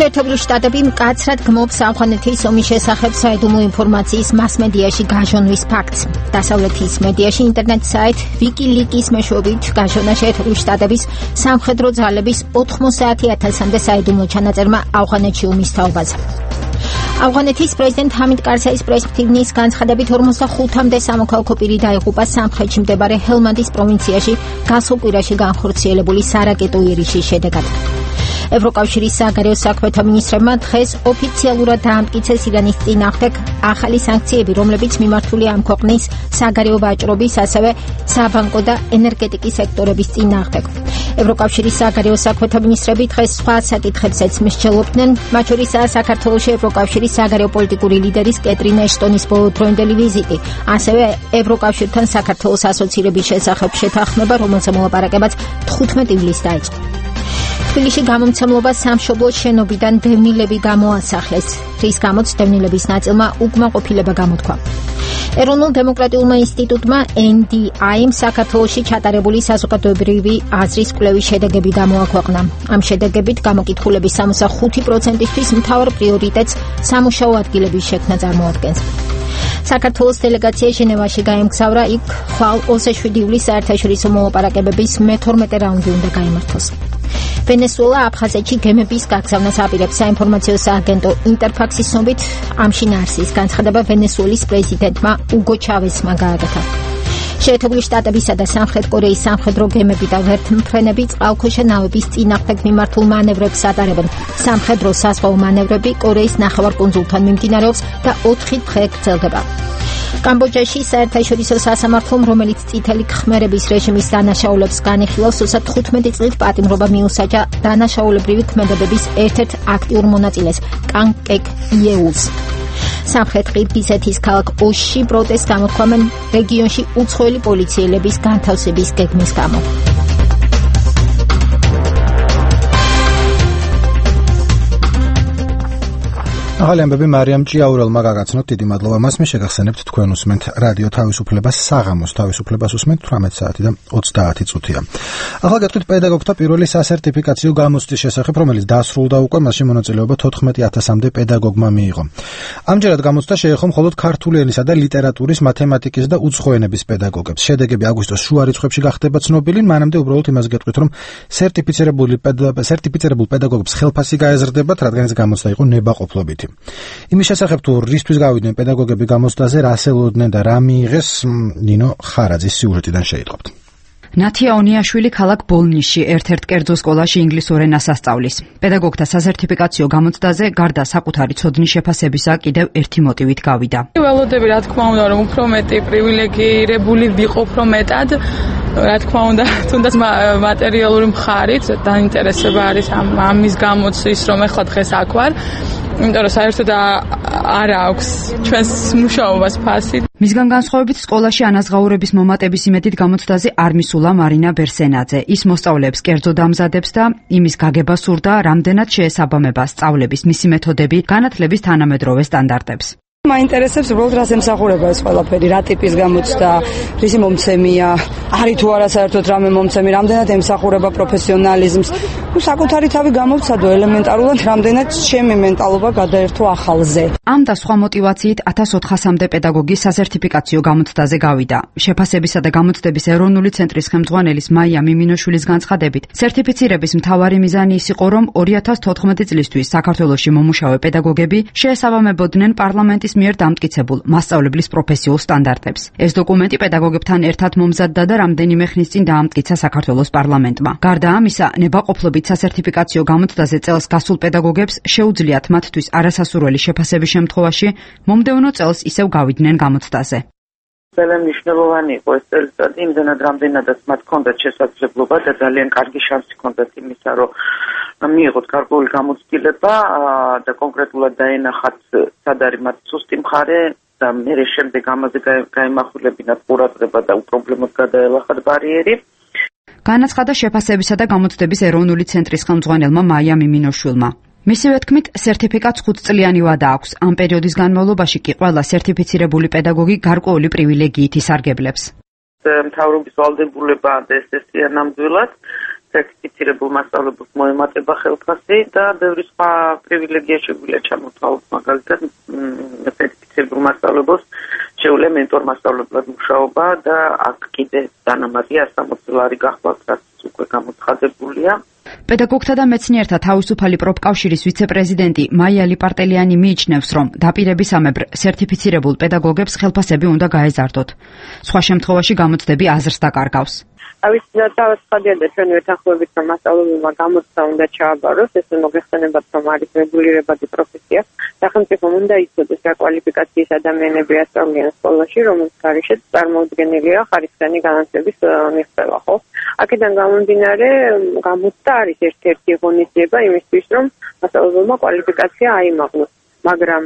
შეერთებული შტატები მკაცრად გმობს ავღანეთის ომის შესახებ საიდუმლო ინფორმაციის მასმედიაში გაჟონვის ფაქტს. დასავლეთის მედიაში ინტერნეტ საიტ WikiLeaks-ის მეშვეობით გაჟონა შეერთებული შტატების სამხედრო ძალების 90,000-მდე საიდუმლო ჩანაწერმა ავღანეთში ომის თაობაზე. ავღანეთის პრეზიდენტ ჰამიდ კარზაის პრესფრინგის განცხადებით 45-მდე სამოქალაქო პირი დაიღუპა სამხრეთში მდებარე ჰელმანდის პროვინციაში გასულ კვირაში განხორციელებული სარაკეტო იერიშის შედეგად. ევროკავშირის საგარეო საქმეთა მინისტრებმა დღეს ოფიციალურად დაამტკიცეს ირანის წინააღმდეგ ახალი სანქციები, რომლებიც მიმართულია ამ ქვეყნის საგარეო ვაჭრობის, ასევე საბანკო და ენერგეტიკის სექტორების წინააღმდეგ. ევროკავშირის საგარეო საქმეთა მინისტრები დღეს სხვა საკითხებსაც მსჯელობდნენ, მათ შორისაა საქართველოში ევროკავშირის საგარეო პოლიტიკური ლიდერის კეტრინა ეშტონის ბოლოდროინდელი ვიზიტი, ასევე ევროკავშირთან საქართველოს ასოცირების შესახებ შეთანხმება, რომელზე მოლაპარაკებაც 15 ივლისს დაიწყო. თბილისში გამომცემლობა სამშობლოს შენობიდან დევნილები გამოასახლეს, რის გამოც დევნილების ნაწილმა უკმაყოფილება გამოთქვა. ეროვნულ დემოკრატიულმა ინსტიტუტმა NDI-მ საქართველოში ჩატარებული საზოგადოებრივი აზრის კვლევის შედეგები გამოაქვეყნა. ამ შედეგებით გამოკითხულების 65%-ისთვის მთავარ პრიორიტეტს სამუშაო ადგილების შექმნა წარმოადგენს. საქართველოს დელეგაცია ჟენევაში გაემგზავრა, იქ ხვალ 27 ივლისს საერთაშორისო მოლაპარაკებების მე-12 რაუნდი უნდა გაიმართოს. ვენესუელა აფხაზეთში გემების გაგზავნას აპირებს. საინფორმაციო სააგენტო ინტერფაქსის ცნობით, ამ შინაარსის განცხადება ვენესუელის პრეზიდენტმა უგო ჩავესმა გააკეთა. შეერთებული შტატებისა და სამხრეთ კორეის სამხედრო გემები და ვერთმფრენები წყალქვეშა ნავების წინააღმდეგ მიმართულ მანევრებს ატარებენ. სამხედრო საზღვაო მანევრები კორეის ნახევარკუნძულთან მიმდინარეობს და 4 დღე გრძელდება. კამბოჯაში საერთაშორისო სასამართლომ, რომელიც წითელი ქმერების რეჟიმის დანაშაულებს განიხილავს, 15 წლით პატიმრობა მიუსაჯა დანაშაულებრივი ქმედებების ერთ-ერთ აქტიურ მონაწილეს, კან კეკ იეულს. სამხრეთ ყირგიზეთის ქალაქ ოში პროტესტს გამოთქვამენ რეგიონში უცხოელი პოლიციელების განთავსების გეგმის გამო. ახალი ამბები მარიამ ჭიაურელმა გაგაცნოთ. დიდი მადლობა მას. მე შეგახსენებთ, თქვენ უსმენთ რადიო თავისუფლებას, საღამოს თავისუფლებას უსმენთ 18 საათი და 30 წუთია. ახლა გეტყვით პედაგოგთა პირველი სასერტიფიკაციო გამოცდის შესახებ, რომელიც დასრულდა უკვე, მასში მონაწილეობა 14,000-მდე პედაგოგმა მიიღო. ამჯერად გამოცდა შეეხო მხოლოდ ქართული ენისა და ლიტერატურის, მათემატიკის და უცხო ენების პედაგოგებს. შედეგები აგვისტოს შუა რიცხვებში გახდება ცნობილი, მანამდე უბრალოდ იმას გეტყვით, რომ სერტიფიცირებულ პედაგოგებს ხელფასი გაეზრდებათ, რადგან ეს გამოცდა იყო ნებაყოფლობითი. იმის შესახებ თუ რისთვის გავიდნენ პედაგოგები გამოცდაზე, რა ელოდნენ და რა მიიღეს, ნინო ხარაძის სიუჟეტიდან შეიტყობთ. ნათია ონიაშვილი ქალაქ ბოლნისში ერთ-ერთ კერძო სკოლაში ინგლისურ ენას ასწავლის. პედაგოგთა სასერტიფიკაციო გამოცდაზე გარდა საკუთარი ცოდნის შეფასებისა კიდევ ერთი მოტივით გავიდა. ველოდები, რა თქმა უნდა, რომ უფრო მეტი პრივილეგირებული ვიყო, უფრო მეტად, რა თქმა უნდა, თუნდაც მატერიალური მხარით დაინტერესება არის ამის გამოცდის, რომ ეხლა დღეს აქ ვარ. იმიტომ რომ საერთოდ არ აქვს ჩვენს მუშაობას ფასი. მისგან განსხვავებით სკოლაში ანაზღაურების მომატების იმედით გამოცდაზე არ მისულა მარინა ბერსენაძე. ის მოსწავლეებს კერძოდ ამზადებს და იმის გაგება სურდა, რამდენად შეესაბამება სწავლების მისი მეთოდები განათლების თანამედროვე სტანდარტებს. მაინტერესებს უბრალოდ რას ემსახურება ეს ყველაფერი, რა ტიპის გამოცდა, რისი მომცემია, არის თუ არა საერთოდ რამე მომცემი, რამდენად ემსახურება პროფესიონალიზმს. საკუთარი თავი გამოვცადო ელემენტარულად, რამდენად ჩემი მენტალობა გადაერთო ახალზე. ამ და სხვა მოტივაციით 1400-მდე პედაგოგის სასერტიფიკაციო გამოცდაზე გავიდა. შეფასებისა და გამოცდების ეროვნული ცენტრის ხელმძღვანელის მაია მიმინოშვილის განცხადებით, სერტიფიცირების მთავარი მიზანი ის იყო, რომ 2014 წლისთვის საქართველოში მომუშავე პედაგოგები შეესაბამებოდნენ პარლამენტის მიერ დამტკიცებულ მასწავლებლის პროფესიულ სტანდარტებს. ეს დოკუმენტი პედაგოგებთან ერთად მომზადდა და რამდენიმე ხნის წინ დაამტკიცა საქართველოს პარლამენტმა. გარდა ამისა, ნებაყოფლობით სასერტიფიკაციო გამოცდაზე წელს გასულ პედაგოგებს შეუძლიათ მათთვის არასასურველი შეფასების შემთხვევაში მომდევნო წელს ისევ გავიდნენ გამოცდაზე. ძალიან მნიშვნელოვანი იყო ეს წელიწადი, იმდენად რამდენადაც მათ ჰქონდათ შესაძლებლობა და ძალიან კარგი შანსი ჰქონდათ იმისა, რომ მიიღოთ გარკვეული გამოცდილება და კონკრეტულად დაენახათ სად არის მათ სუსტი მხარე და მერე შემდეგ ამაზე გაემახვილებინათ ყურადღება და უპრობლემოდ გადაელახათ ბარიერი. განაცხადა შეფასებისა და გამოცდების ეროვნული ცენტრის ხელმძღვანელმა მაია მიმინოშვილმა. მისივე თქმით, სერტიფიკატს 5 წლიანი ვადა აქვს. ამ პერიოდის განმავლობაში კი ყველა სერტიფიცირებული პედაგოგი გარკვეული პრივილეგიით ისარგებლებს. მთავრობის ვალდებულება და ესეა ნამდვილად სერტიფიცირებულ მასწავლებელს მოემატება ხელფასი და ბევრი სხვა პრივილეგია შეგვიძლია ჩამოთვალოთ, მაგალითად სერტიფიცირებულ მასწავლებელს შეუძლია მენტორ მასწავლებლად მუშაობა და აქ კიდე დანამატი 160 ლარი გახლავთ, რაც უკვე გამოცხადებულია. პედაგოგთა და მეცნიერთა თავისუფალი პროფკავშირის ვიცე-პრეზიდენტი მაია ლიპარტელიანი მიიჩნევს, რომ დაპირებისამებრ სერტიფიცირებულ პედაგოგებს ხელფასები უნდა გაეზარდოთ. სხვა შემთხვევაში გამოცდები აზრს დაკარგავს. დავაცხადია და ჩვენ ვეთანხმებით, რომ მასწავლებელმა გამოცდა უნდა ჩააბაროს, ეს მოგეხსენებათ, რომ არის რეგულირებადი პროფესია. სახელმწიფომ უნდა იცოდეს რა კვალიფიკაციის ადამიანები ასწავლიან სკოლაში, რომელთა გარშემო წარმოუდგენელია ხარისხიანი განათლების მიღწევა, ხო? აქედან გამომდინარე, გამოცდა არის ერთ-ერთი ღონისძიება იმისთვის, რომ მასწავლებელმა კვალიფიკაცია აიმაღლოს, მაგრამ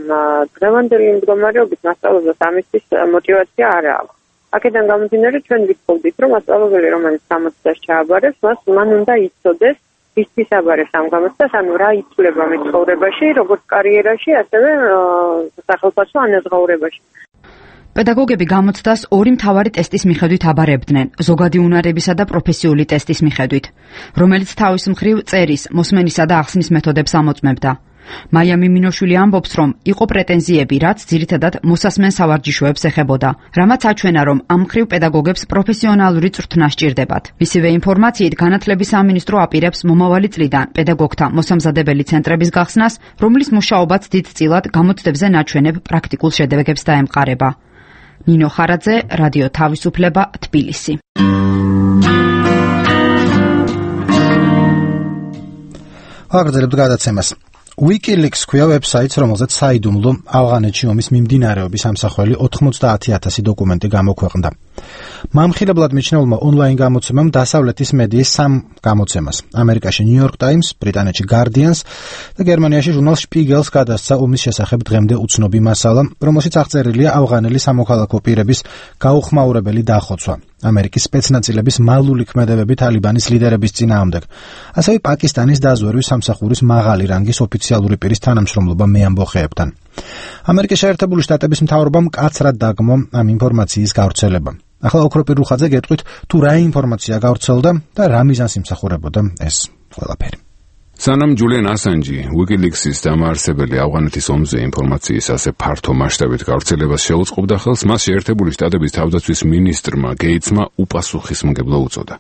დღევანდელი მდგომარეობით მასწავლებლებს ამისთვის мотиваცია არ აქვს. აქედან გამომდინარე, ჩვენ ვიტყობდით, რომ მასწავლებელი, რომელიც გამოცდას ჩააბარებს, მან უნდა იცოდეს, ისთვის აბარებს ამ გამოცდას, ანუ რა იცვლება მცხოვრებაში, როგორც კარიერაში, ასევე სახელმწიფო ანაზღაურებაში. პედაგოგები გამოცდას ორი მთავარი ტესტის მიხედვით აბარებდნენ: ზოგადი უნარებისა და პროფესიული ტესტის მიხედვით, რომელიც თავის მხრივ წერის, მოსმენისა და ახსნის მეთოდებს ამოწმებდა. მაია მიმინოშვილი ამბობს, რომ იყო პრეტენზიები, რაც ძირითადად მოსასმენ სავარჯიშოებს ეხებოდა, რამაც აჩვენა, რომ ამ მხრივ პედაგოგებს პროფესიონალური წვრთნა სჭირდებათ. მისივე ინფორმაციით, განათლების სამინისტრო აპირებს მომავალი წლიდან პედაგოგთა მოსამზადებელი ცენტრების გახსნას, რომლის მუშაობაც დიდწილად გამოცდებზე ნაჩვენებ პრაქტიკულ შედეგებს დაემყარება. ნინო ხარაძე, რადიო თავისუფლება, თბილისი. აგრძელებთ გადაცემას. WikiLeaks ქვია ვებსაიტს, რომელზეც საიდუმლო ავღანეთში ომის მიმდინარეობის ამსახველი 90,000 დოკუმენტი გამოქვეყნდა. მამხილებლად მიჩნეულმა ონლაინ გამოცემამ დასავლეთის მედიის 3 გამოცემას, ამერიკაში New York Times, ბრიტანეთში Guardians და გერმანიაში ჟურნალ Spiegel's გადასცა ომის შესახებ დღემდე უცნობი მასალა, რომელშიც აღწერილია ავღანელი სამოქალაქო პირების გაუხმაურებელი დახოცვა. ამერიკის სპეცნაზილების მალული ქმედებები თალიბანის ლიდერების წინააღმდეგ, ასევე პაკისტანის დაზვერვის სამსახურის მაღალი რანგის ოფიციალური პირის თანამშრომლობა მეამბოხეებთან. ამერიკის შეერთებული შტატების მთავრობამ მკაცრად დაგმო ამ ინფორმაციის გავრცელება. ახლა ოქროპირ რუხაძე გეტყვით, თუ რა ინფორმაცია გავრცელდა და რა მიზანს იმსახურებოდა ეს ყველაფერი. სანამ ჯულიან ასანჯი, WikiLeaks-ის დამაარსებელი ავღანეთის ომზე ინფორმაციის ასე ფართო მასშტაბით გავრცელებას შეუწყობდა ხელს, მას შეერთებული შტატების თავდაცვის მინისტრმა გეიცმა უპასუხისმგებლო უწოდა.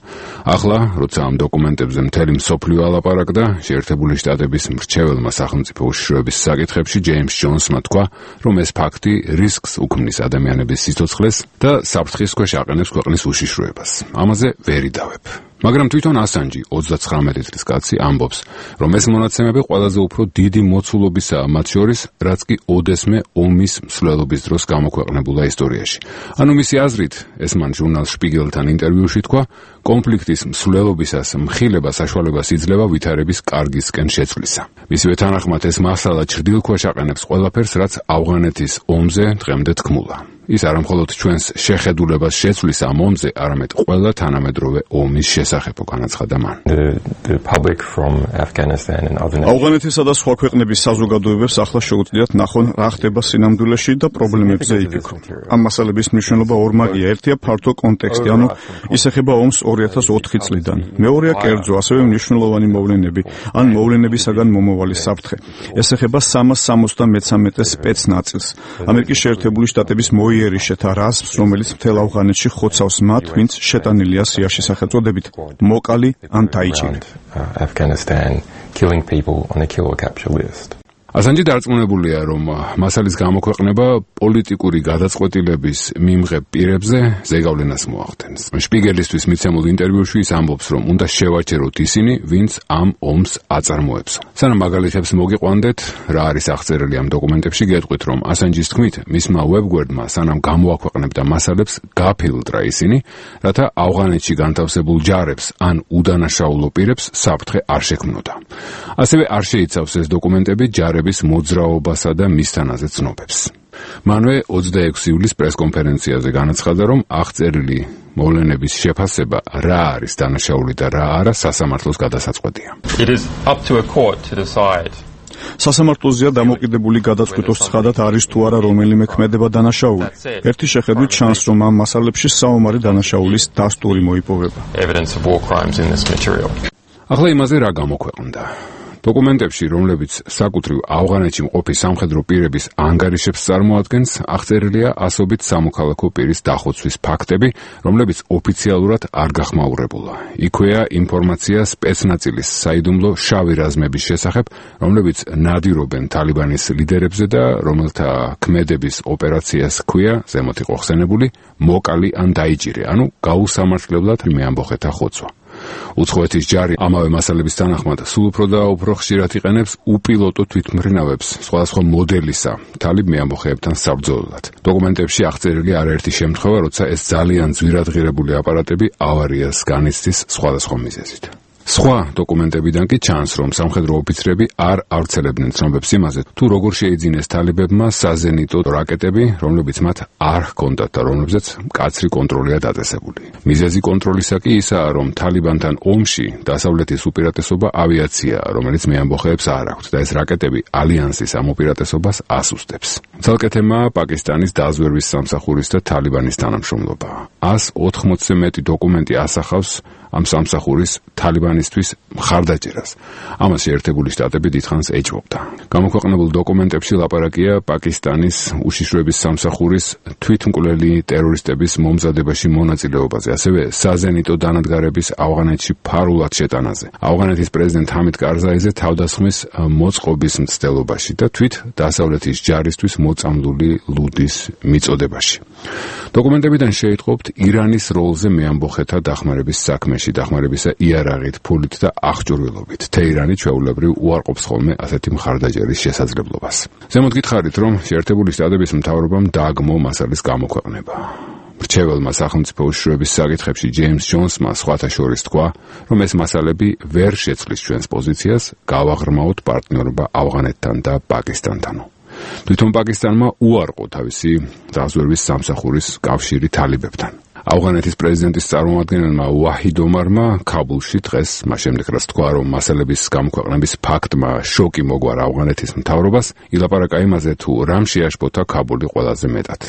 ახლა, როცა ამ დოკუმენტებზე მთელი მსოფლიო ალაპარაკდა, შეერთებული შტატების მრჩეველმა სახელმწიფო უშიშროების საკითხებში ჯეიმს ჯონსმა თქვა, რომ ეს ფაქტი რისკს უქმნის ადამიანების სიცოცხლეს და საფრთხის ქვეშ აყენებს ქვეყნის უშიშროებას. ამაზე ვერ იდავებ. მაგრამ თვითონ ასანჯი 39 წლის კაცი ამბობს, რომ ეს მონაცემები ყველაზე უფრო დიდი მოცულობისაა მათ შორის, რაც კი ოდესმე ომის მსვლელობის დროს გამოქვეყნებულა ისტორიაში. ანუ მისი აზრით, ეს მან ჟურნალ Spiegelთან ინტერვიუში თქვა, კონფლიქტის მსვლელობისას მხილება საშუალებას იძლევა ვითარების კარგისკენ შეცვლისა. მისივე თანახმად ეს მასალა ჩრდილქვეშ აყენებს ყველაფერს, რაც ავღანეთის ომზე დღემდე თქმულა. ის არამხოლოდ ჩვენს შეხედულებას შეცვლის ამ ომზე, არამედ ყველა თანამედროვე ომის შესახებ განაცხადა მან. ავღანეთისა და სხვა ქვეყნების საზოგადოებებს ახლა შეუძლიათ ნახონ რა ხდება სინამდვილეში და პრობლემებზე იფიქრონ. ამ მასალების მნიშვნელობა ორმაგია. ერთია ფართო კონტექსტი, ანუ ის ეხება ომს 2004 წლიდან. მეორეა კერძო, ასევე მნიშვნელოვანი მოვლენები, ან მოვლენებისაგან მომავალი საფრთხე. ეს ეხება 373 სპეცნაწილს, ამერიკის შეერთებული შტატების იერიშეთა რაზმს, რომელიც მთელ ავღანეთში ხოცავს მათ, ვინც შეტანილია სიაში სახელწოდებით მოკალი ან დაიჭირე. ასანჯი დარწმუნებულია, რომ მასალის გამოქვეყნება პოლიტიკური გადაწყვეტილების მიმღებ პირებზე ზეგავლენას მოახდენს. Spiegelისთვის მიცემულ ინტერვიუში ის ამბობს, რომ უნდა შევაჩეროთ ისინი, ვინც ამ ომს აწარმოებს. სანამ მაგალითებს მოგიყვანდეთ, რა არის აღწერილი ამ დოკუმენტებში, გეტყვით, რომ ასანჯის თქმით, მისმა ვებგვერდმა სანამ გამოაქვეყნებდა მასალებს, გაფილტრა ისინი, რათა ავღანეთში განთავსებულ ჯარებს ან უდანაშაულო პირებს საფრთხე არ შექმნოდა. ასევე არ შეიცავს ეს დოკუმენტები ჯარების მოძრაობასა და მისთანაზე ცნობებს. მანვე 26 ივლისს პრესკონფერენციაზე განაცხადა, რომ აღწერილი მოვლენების შეფასება რა არის დანაშაული და რა არა სასამართლოს გადასაწყვეტია. სასამართლოზეა დამოკიდებული გადაწყვეტოს ცხადად არის თუ არა რომელიმე ქმედება დანაშაული. ერთი შეხედვით ჩანს, რომ ამ მასალებში საომარი დანაშაულის დასტური მოიპოვება. ახლა იმაზე რა გამოქვეყნდა. დოკუმენტებში, რომლებიც საკუთრივ ავღანეთში მყოფი სამხედრო პირების ანგარიშებს წარმოადგენს, აღწერილია ასობით სამოქალაქო პირის დახოცვის ფაქტები, რომლებიც ოფიციალურად არ გახმაურებულა. იქვეა ინფორმაცია სპეცნაცილის საიდუმლო შავი რაზმების შესახებ, რომლებიც ნადირობენ თალიბანის ლიდერებზე და რომელთა ქმედების ოპერაციას ჰქვია, ზემოთ იყო ხსენებული, მოკალი ან დაიჭირე, ანუ გაუსამართლებლად მეამბოხეთა ხოცვა. უცხოეთის ჯარი ამავე მასალების თანახმად სულ უფრო და უფრო ხშირად იყენებს უპილოტო თვითმფრინავებს სხვადასხვა მოდელისა თალიბ მეამბოხეებთან საბრძოლოდ. დოკუმენტებში აღწერილი არაერთი შემთხვევა, როცა ეს ძალიან ძვირადღირებული აპარატები ავარიას განიცდის სხვადასხვა მიზეზით. სხვა დოკუმენტებიდან კი ჩანს, რომ სამხედრო ოფიცრები არ ავრცელებდნენ ცნობებს იმაზე, თუ როგორ შეიძინეს თალიბებმა საზენიტო რაკეტები, რომლებიც მათ არ ჰქონდათ და რომლებზეც მკაცრი კონტროლია დაწესებული. მიზეზი კონტროლისა კი ისაა, რომ თალიბანთან ომში დასავლეთის უპირატესობა ავიაციაა, რომელიც მეამბოხეებს არ აქვთ და ეს რაკეტები ალიანსის ამ უპირატესობას ასუსტებს. ცალკე თემაა პაკისტანის დაზვერვის სამსახურის და თალიბანის თანამშრომლობა. 180-ზე მეტი დოკუმენტი ასახავს ამ სამსახურის თალიბანისთვის მხარდაჭერას. ამას შეერთებული შტატები დიდხანს ეჭვობდა. გამოქვეყნებულ დოკუმენტებში ლაპარაკია პაკისტანის უშიშროების სამსახურის თვითმკვლელი ტერორისტების მომზადებაში მონაწილეობაზე, ასევე საზენიტო დანადგარების ავღანეთში ფარულად შეტანაზე, ავღანეთის პრეზიდენტ ჰამიდ კარზაიზე თავდასხმის მოწყობის მცდელობაში და თვით დასავლეთის ჯარისთვის მოწამლული ლუდის მიწოდებაში. დოკუმენტებიდან შეიტყობთ ირანის როლზე მეამბოხეთა დახმარების საქმეში, დახმარებისა იარაღით, ფულით და აღჭურვილობით. თეირანი ჩვეულებრივ უარყოფს ხოლმე ასეთი მხარდაჭერის შესაძლებლობას. ზემოთ გითხარით, რომ შეერთებული შტატების მთავრობამ დააგმო მასალის გამოქვეყნება. მრჩეველმა სახელმწიფო უშიშროების საკითხებში ჯეიმს ჯონსმა სხვათა შორის თქვა, რომ ეს მასალები ვერ შეცვლის ჩვენს პოზიციას, გავაღრმაოთ პარტნიორობა ავღანეთთან და პაკისტანთანო. თვითონ პაკისტანმა უარყო თავისი დაზვერვის სამსახურის კავშირი თალიბებთან. ავღანეთის პრეზიდენტის წარმომადგენელმა ვაჰიდ ომარმა ქაბულში დღეს მას შემდეგ რაც თქვა, რომ მასალების გამოქვეყნების ფაქტმა შოკი მოგვარა ავღანეთის მთავრობას, ილაპარაკა იმაზე, თუ რამ შეაშფოთა ქაბული ყველაზე მეტად.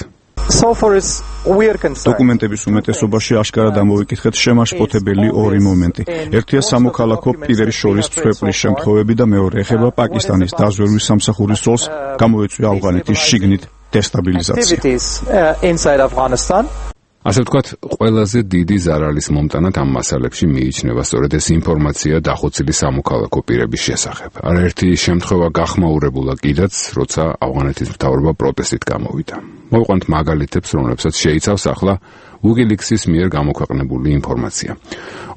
დოკუმენტების უმეტესობაში აშკარად ამოვიკითხეთ შემაშფოთებელი ორი მომენტი. ერთია სამოქალაქო პირების შორის მსხვერპლის შემთხვევები და მეორე ეხება პაკისტანის დაზვერვის სამსახურის როლს, გამოიწვია ავღანეთის შიგნით დესტაბილიზაცია. ასე ვთქვათ, ყველაზე დიდი ზარალის მომტანად ამ მასალებში მიიჩნევა სწორედ ეს ინფორმაცია დახოცილი სამოქალაქო პირების შესახებ. არაერთი შემთხვევა გახმაურებულა კიდაც, როცა ავღანეთის მთავრობა პროტესტით გამოვიდა. მოვიყვანთ მაგალითებს, რომლებსაც შეიცავს ახლა WikiLeaks-ის მიერ გამოქვეყნებული ინფორმაცია.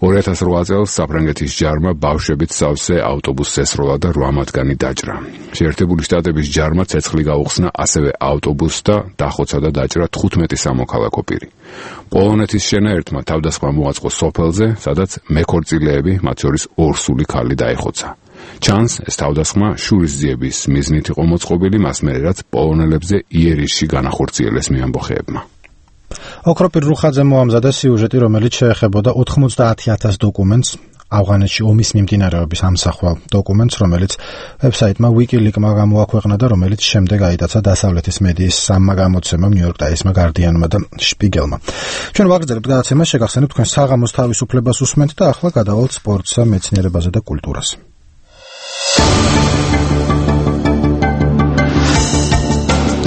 2008 წელს საფრანგეთის ჯარმა ბავშვებით სავსე ავტობუსს ესროლა და 8 მათგანი დაჭრა. შეერთებული შტატების ჯარმა ცეცხლი გაუხსნა ასევე ავტობუსს და დახოცა და დაჭრა 15 სამოქალაქო პირი. პოლონეთის შენაერთმა თავდასხმა მოაწყო სოფელზე, სადაც მეკორწილეები, მათ შორის ორსული ქალი დაეხოცა. ჩანს, ეს თავდასხმა შურისძიების მიზნით იყო მოწყობილი, მას მერე რაც პოლონელებზე იერიშში განახორციელეს მეამბოხეებმა. ოქროპირ რუხაძე მოამზადა სიუჟეტი, რომელიც შეეხებოდა 90,000 დოკუმენტს, ავღანეთში ომის მიმდინარეობის ამსახველ დოკუმენტს, რომელიც ვებსაიტმა WikiLeaks-მა გამოაქვეყნა და რომელიც შემდეგ აიტაცა დასავლეთის მედიის სამმა გამოცემამ, New York Times-მა, Guardian-მა და Spiegel-მა. ჩვენ ვაგრძელებთ გადაცემას, შეგახსენებთ თქვენ საღამოს თავისუფლებას უსმენთ და ახლა გადავალთ სპორტსა, მეცნიერებაზე და კულტურას.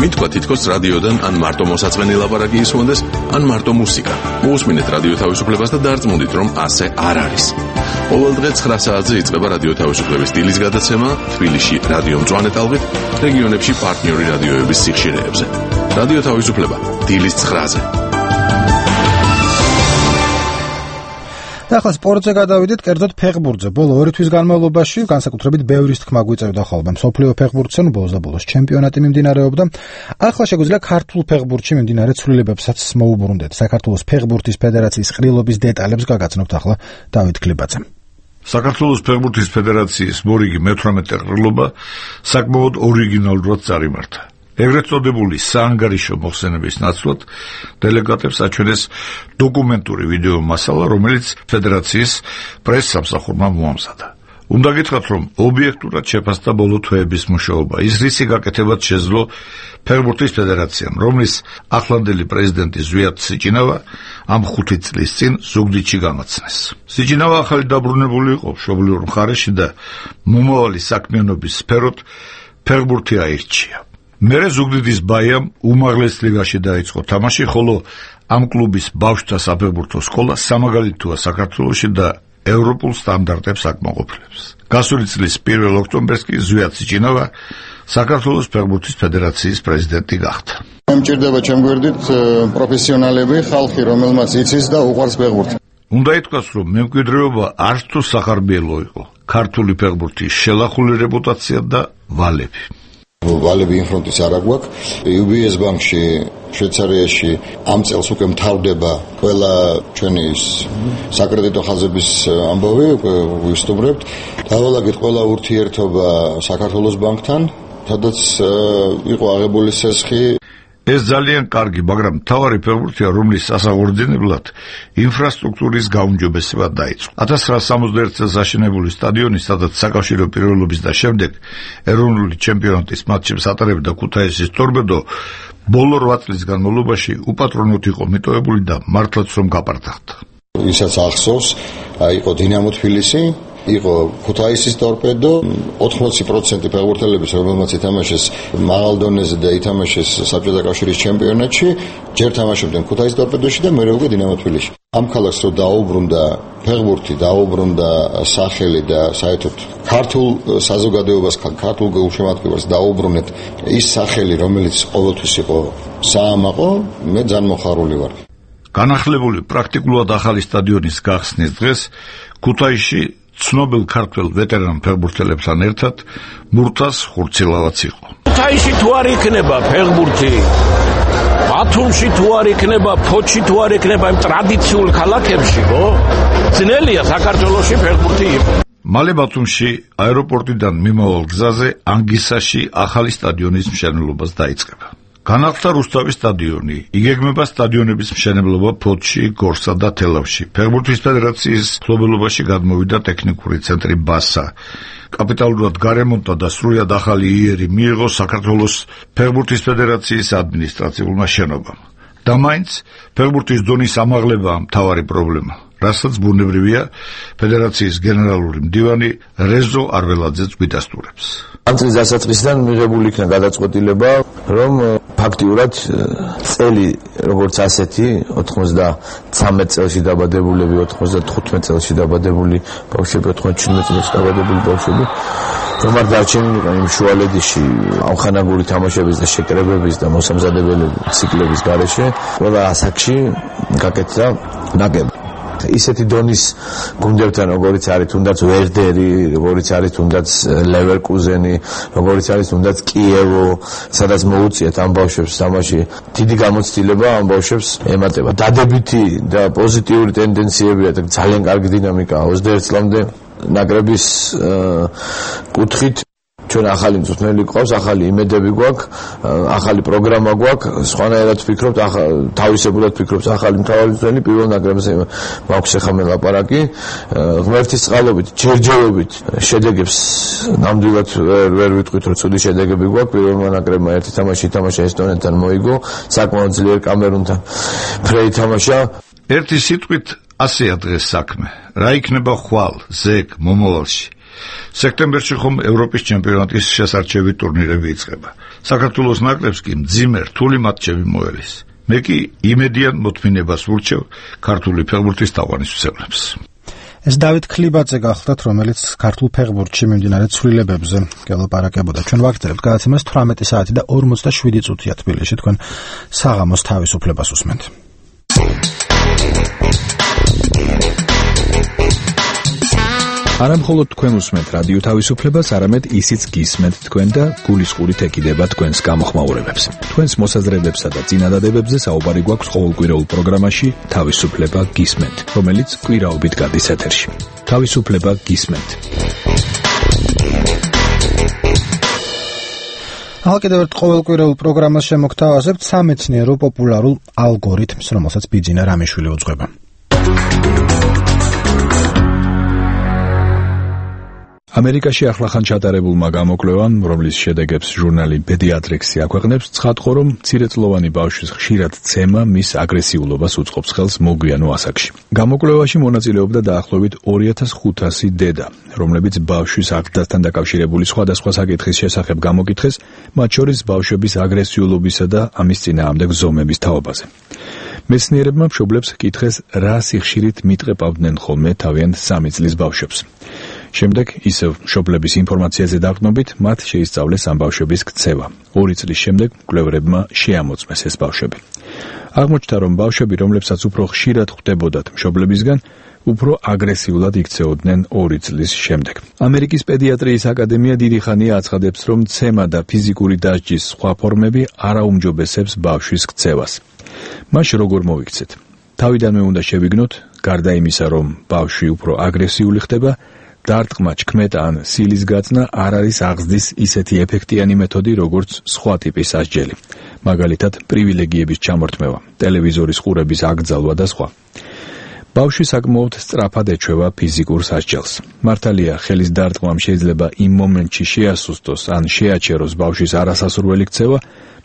მითქვა თითქოს რადიოდან ან მარტო მოსაწყენი ლაპარაკი ისმონდეს, ან მარტო მუსიკა. მოусმინეთ რადიო თავისუფლებას და დარწმუნდით, რომ ასე არ არის. ყოველ დღე 9 საათზე იწყება რადიო თავისუფლების დილის გადაცემა თბილისში რადიო მწვანე ტალღით, რეგიონებში პარტნიორი რადიოების სიხშირეებზე. რადიო თავისუფლება დილის 9-ზე. და ახლა სპორტზე გადავიდეთ, კერძოდ ფეხბურთზე. ბოლო 2 თვის განმავლობაში განსაკუთრებით ბევრის თქმა გვიწევდა ხოლმე მსოფლიო ფეხბურთზე, ბოლოს და ბოლოს ჩემპიონატი მიმდინარეობდა. ახლა შეგვიძლია ქართულ ფეხბურთში მიმდინარე ცვლილებებსაც მოუბრუნდეთ. საქართველოს ფეხბურთის ფედერაციის ყრილობის დეტალებს გაგაცნობთ ახლა დავით გლიბაძემ. საქართველოს ფეხბურთის ფედერაციის მორიგი მე-18 ყრილობა საკმაოდ ორიგინალურად წარიმართა. ეგრეთ წოდებული საანგარიშო მოხსენების ნაცვლად დელეგატებს აჩვენეს დოკუმენტური ვიდეო მასალა, რომელიც ფედერაციის პრეს-სამსახურმა მოამზადა. უნდა გითხრათ, რომ ობიექტურად შეფასდა ბოლო თვეების მუშაობა. ის რისი გაკეთებაც შეძლო ფეხბურთის ფედერაციამ, რომლის ახლანდელი პრეზიდენტი ზვიად სიჭინავა ამ 5 წლის წინ ზუგდიდში გამოცნეს. სიჭინავა ახალი დაბრუნებული იყო მშობლიურ მხარეში და მომავალი საქმიანობის სფეროთ ფეხბურთი აირჩია. მერე ზუგდიდის ბაიამ უმაღლეს ლიგაში დაიწყო თამაში, ხოლო ამ კლუბის ბავშვთა საფეხბურთო სკოლა სამაგალითოა საქართველოში და ევროპულ სტანდარტებს აკმაყოფილებს. გასული წლის 1 ოქტომბერს კი ზვიად სიჭინავა საქართველოს ფეხბურთის ფედერაციის პრეზიდენტი გახდა. მჭირდება ჩემ გვერდით პროფესიონალები, ხალხი, რომელმაც იცის და უყვარს ფეხბურთი. უნდა ითქვას, რომ მემკვიდრეობა არც თუ სახარბიელო იყო. ქართული ფეხბურთის შელახული რეპუტაცია და ვალები. ვალები ინფრონტის არ აგვაქვს. UBS ბანკში შვეიცარიაში ამ წელს უკვე მთავრდება ყველა ჩვენი საკრედიტო ხაზების ამბავი, ვისტუმრებთ. დავალაგეთ ყველა ურთიერთობა საქართველოს ბანკთან, სადაც იყო აღებული სესხი. ეს ძალიან კარგი, მაგრამ მთავარი ფეხბურთია, რომლის სასაღურდენებლად ინფრასტრუქტურის გაუმჯობესება დაიწყო. 1961 წელს აშენებული სტადიონი, სადაც საკავშირო პირველობის და შემდეგ ეროვნული ჩემპიონატის მატჩებს ატარებდა ქუთაისის ტორპედო, ბოლო 8 წლის განმავლობაში უპატრონოდ იყო მიტოვებული და მართლაც რომ გაპარტახდა. ისაც ახსოვს, იყო დინამო თბილისი, იყო ქუთაისის ტორპედო, 80% ფეხბურთელების, რომელმაც ითამაშეს მაღალ დონეზე და ითამაშეს საბჭოთა კავშირის ჩემპიონატში, ჯერ თამაშობდნენ ქუთაისის ტორპედოში და მერე უკვე დინამო თბილისში. ამ ქალაქს რო დაუბრუნდა ფეხბურთი, დაუბრუნდა სახელი და საერთოდ ქართულ საზოგადოებას, ქართულ გულშემატკივარს დაუბრუნეთ ის სახელი, რომელიც ყოველთვის იყო საამაყო, მე ძალიან მოხარული ვარ. განახლებული პრაქტიკულად ახალი სტადიონის გახსნის დღეს ქუთაისში ცნობილ ქართველ ვეტერან ფეხბურთელებთან ერთად მურთას ხურცილავაც იყო. ქუთაისში თუ არ იქნება ფეხბურთი, ბათუმში თუ არ იქნება, ფოთში თუ არ იქნება იმ ტრადიციულ ქალაქებში, ძნელია საქართველოში ფეხბურთი იყო. მალე ბათუმში აეროპორტიდან მიმავალ გზაზე ანგისაში ახალი სტადიონის მშენებლობას დაიწყება. განახლდა რუსთავის სტადიონი, იგეგმება სტადიონების მშენებლობა ფოთში, გორსა და თელავში. ფეხბურთის ფედერაციის მფლობელობაში გადმოვიდა ტექნიკური ცენტრი ბასა. კაპიტალურად გარემონტა და სრულად ახალი იერი მიიღო საქართველოს ფეხბურთის ფედერაციის ადმინისტრაციულმა შენობამ. და მაინც ფეხბურთის დონის ამაღლებაა მთავარი პრობლემა, რასაც ბუნებრივია ფედერაციის გენერალური მდივანი რეზო არველაძეც გვიდასტურებს. ამ წლის დასაწყისიდან მიღებული იქნა გადაწყვეტილება, რომ ფაქტიურად წელი როგორც ასეთი 93 წელში დაბადებულები, 95 წელში დაბადებული ბავშვები, 97 წელში დაბადებული ბავშვები რომ არ დარჩენილიყო იმ შუალედიში ამხანაგური თამაშების და შეკრებების და მოსამზადებელი ციკლების გარეშე, ყველა ასაკში გაკეთდა ნაკრები. ისეთი დონის გუნდებთან, როგორიც არის თუნდაც ვერდერი, როგორიც არის თუნდაც ლევერკუზენი, როგორიც არის თუნდაც კიევო, სადაც მოუწიათ ამ ბავშვებს თამაში, დიდი გამოცდილება ამ ბავშვებს ემატება. დადებითი და პოზიტიური ტენდენციებია და ძალიან კარგი დინამიკაა 21 წლამდე ნაკრების კუთხით. ჩვენ ახალი მწვრთნელი გვყავს, ახალი იმედები გვაქვს, ახალი პროგრამა გვაქვს, სხვანაირად ვფიქრობთ, თავისებურად ვფიქრობთ ახალი მთავარი მწვრთნელი პირველ ნაკრებზე მაქვს ახლა ლაპარაკი. ღმერთის წყალობით, ჯერჯერობით შედეგებს ნამდვილად ვერ ვიტყვით, რომ ცუდი შედეგები გვაქვს. პირველმა ნაკრებმა ერთი თამაში ითამაშა ესტონეთთან, მოიგო, საკმაოდ ძლიერ კამერუნთან ფრე ითამაშა. ერთი სიტყვით ასეა დღეს საქმე. რა იქნება ხვალ, ზეგ, მომავალში? სექტემბერში ხომ ევროპის ჩემპიონატის შესარჩევი ტურნირები იწყება. საქართველოს ნაკრებს კი მძიმე რთული მატჩები მოელის. მე კი იმედიან მოთმინებას ვურჩევ ქართული ფეხბურთის თაყვანისმცემლებს. ეს დავით ქლიბაძე გახლდათ, რომელიც ქართულ ფეხბურთში მიმდინარე ცვლილებებზე გელაპარაკებოდა. ჩვენ ვაგრძელებთ გადაცემას 18 საათი და 47 წუთია თბილისში. თქვენ საღამოს თავისუფლებას უსმენთ. არა მხოლოდ თქვენ უსმენთ რადიო თავისუფლებას, არამედ ისიც გისმენთ თქვენ და გულისყურით ეკიდება თქვენს გამოხმაურებებს. თქვენს მოსაზრებებსა და წინადადებებზე საუბარი გვაქვს ყოველკვირეულ პროგრამაში თავისუფლება გისმენთ, რომელიც კვირაობით გადის ეთერში. თავისუფლება გისმენთ. კიდევ ერთ ყოველკვირეულ პროგრამას შემოგთავაზებთ სამეცნიერო პოპულარულ ალგორითმს, რომელსაც ბიძინა რამიშვილი უძღვება. ამერიკაში ახლახან ჩატარებულმა გამოკვლევამ, რომლის შედეგებს ჟურნალი Pediatrics აქვეყნებს, ცხადყო, რომ მცირეწლოვანი ბავშვის ხშირად ცემა მის აგრესიულობას უწყობს ხელს მოგვიანო ასაკში. გამოკვლევაში მონაწილეობდა დაახლოებით 2500 დედა, რომლებიც ბავშვის აღზრდასთან დაკავშირებული სხვადასხვა საკითხის შესახებ გამოკითხეს, მათ შორის ბავშვების აგრესიულობისა და ამის წინააღმდეგ ზომების თაობაზე. მეცნიერებმა მშობლებს კითხეს, რა სიხშირით მიტყეპავდნენ ხოლმე თავიანთ 3 წლის ბავშვებს. შემდეგ ისევ მშობლების ინფორმაციაზე დაყრდნობით მათ შეისწავლეს ამ ბავშვების ქცევა. 2 წლის შემდეგ მკვლევარებმა შეამოწმეს ეს ბავშვები. აღმოჩნდა, რომ ბავშვები, რომლებსაც უფრო ხშირად ხვდებოდათ მშობლებისგან, უფრო აგრესიულად იქცეოდნენ 2 წლის შემდეგ. ამერიკის პედიატრიის აკადემია დიდი ხანია აცხადებს, რომ ცემა და ფიზიკური დასჯის სხვა ფორმები არაუმჯობესებს ბავშვის ქცევას. მას როგორ მოვიქცეთ? თავიდანვე უნდა შევიგნოთ, გარდა იმისა, რომ ბავშვი უფრო აგრესიული ხდება, დარტყმა, ჩქმეტა ან სილის გაწნა არ არის აღზრდის ისეთი ეფექტიანი მეთოდი, როგორც სხვა ტიპის სასჯელი. მაგალითად, პრივილეგიების ჩამორთმევა, ტელევიზორის ყურების აკრძალვა და სხვა. ბავშვი საკმაოდ სწრაფად ეჩვევა ფიზიკურ სასჯელს. მართალია, ხელის დარტყმამ შეიძლება იმ მომენტში შეასუსტოს ან შეაჩეროს ბავშვის არასასურველი ქცევა,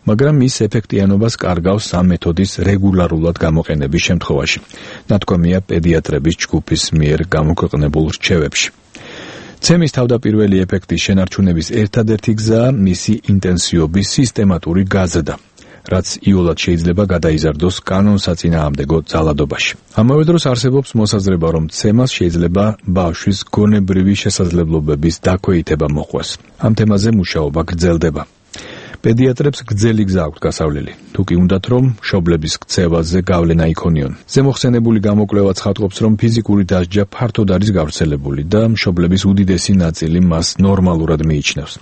მაგრამ ის ეფექტიანობას კარგავს ამ მეთოდის რეგულარულად გამოყენების შემთხვევაში. ნათქვამია პედიატრების ჯგუფის მიერ გამოქვეყნებულ რჩევებში. ცემის თავდაპირველი ეფექტის შენარჩუნების ერთადერთი გზაა მისი ინტენსივობის სისტემატური გაზრდა, რაც იოლად შეიძლება გადაიზარდოს კანონსაწინააღმდეგო ძალადობაში. ამავე დროს არსებობს მოსაზრება, რომ ცემას შეიძლება ბავშვის გონებრივი შესაძლებლობების დაქვეითება მოყვეს. ამ თემაზე მუშაობა გრძელდება. პედიატრებს გრძელი გზა აქვთ გასავლელი. თუ კი უნდათ, რომ მშობლების ქცევაზე გავლენა იქონიონ. ზემოხსენებული გამოკვლევა ცხადყოფს, რომ ფიზიკური დასჯა ფართოდ არის გავრცელებული და მშობლების უდიდესი ნაწილი მას ნორმალურად მიიჩნევს.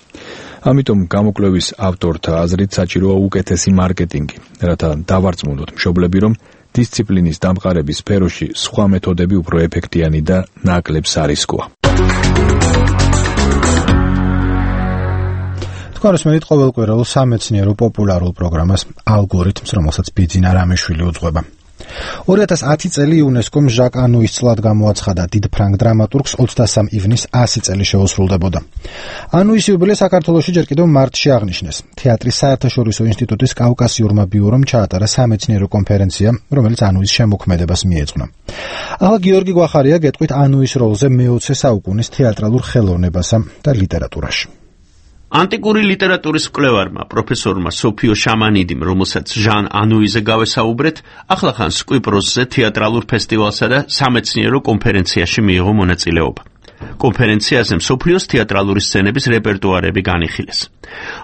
ამიტომ გამოკვლევის ავტორთა აზრით საჭიროა უკეთესი მარკეტინგი, რათა დავარწმუნოთ მშობლები, რომ დისციპლინის დამყარების სფეროში სხვა მეთოდები უფრო ეფექტიანი და ნაკლებ სარისკოა. გასმენით ყოველკვირეულ სამეცნიერო პოპულარულ პროგრამას ალგორითმს, რომელსაც ბიძინა რამეშვილი უძღვება. 2010 წელი იუნესკომ ჟაკ ანუის წლად გამოაცხადა. დიდ ფრანგ დრამატურგს 23 ივნისს 100 წელი შეუსრულდებოდა. ანუის იუბილე საქართველოში ჯერ კიდევ მარტში აღნიშნეს. თეატრის საერთაშორისო ინსტიტუტის კავკასიურმა ბიურომ ჩაატარა სამეცნიერო კონფერენცია, რომელიც ანუის შემოქმედებას მიეძღვნა. ახლა გიორგი გვახარია გეტყვით ანუის როლზე მე-20 საუკუნის თეატრალურ ხელოვნებასა და ლიტერატურაში. ანტიკური ლიტერატურის მკვლევარმა პროფესორმა სოფიო შამანიდიმ, რომელსაც ჟან ანუიზე გავესაუბრეთ, ახლახან სკვიპროსზე თეატრალურ ფესტივალსა და სამეცნიერო კონფერენციაში მიიღო მონაწილეობა. კონფერენციაზე მსოფლიოს თეატრალური სცენების რეპერტუარები განიხილეს.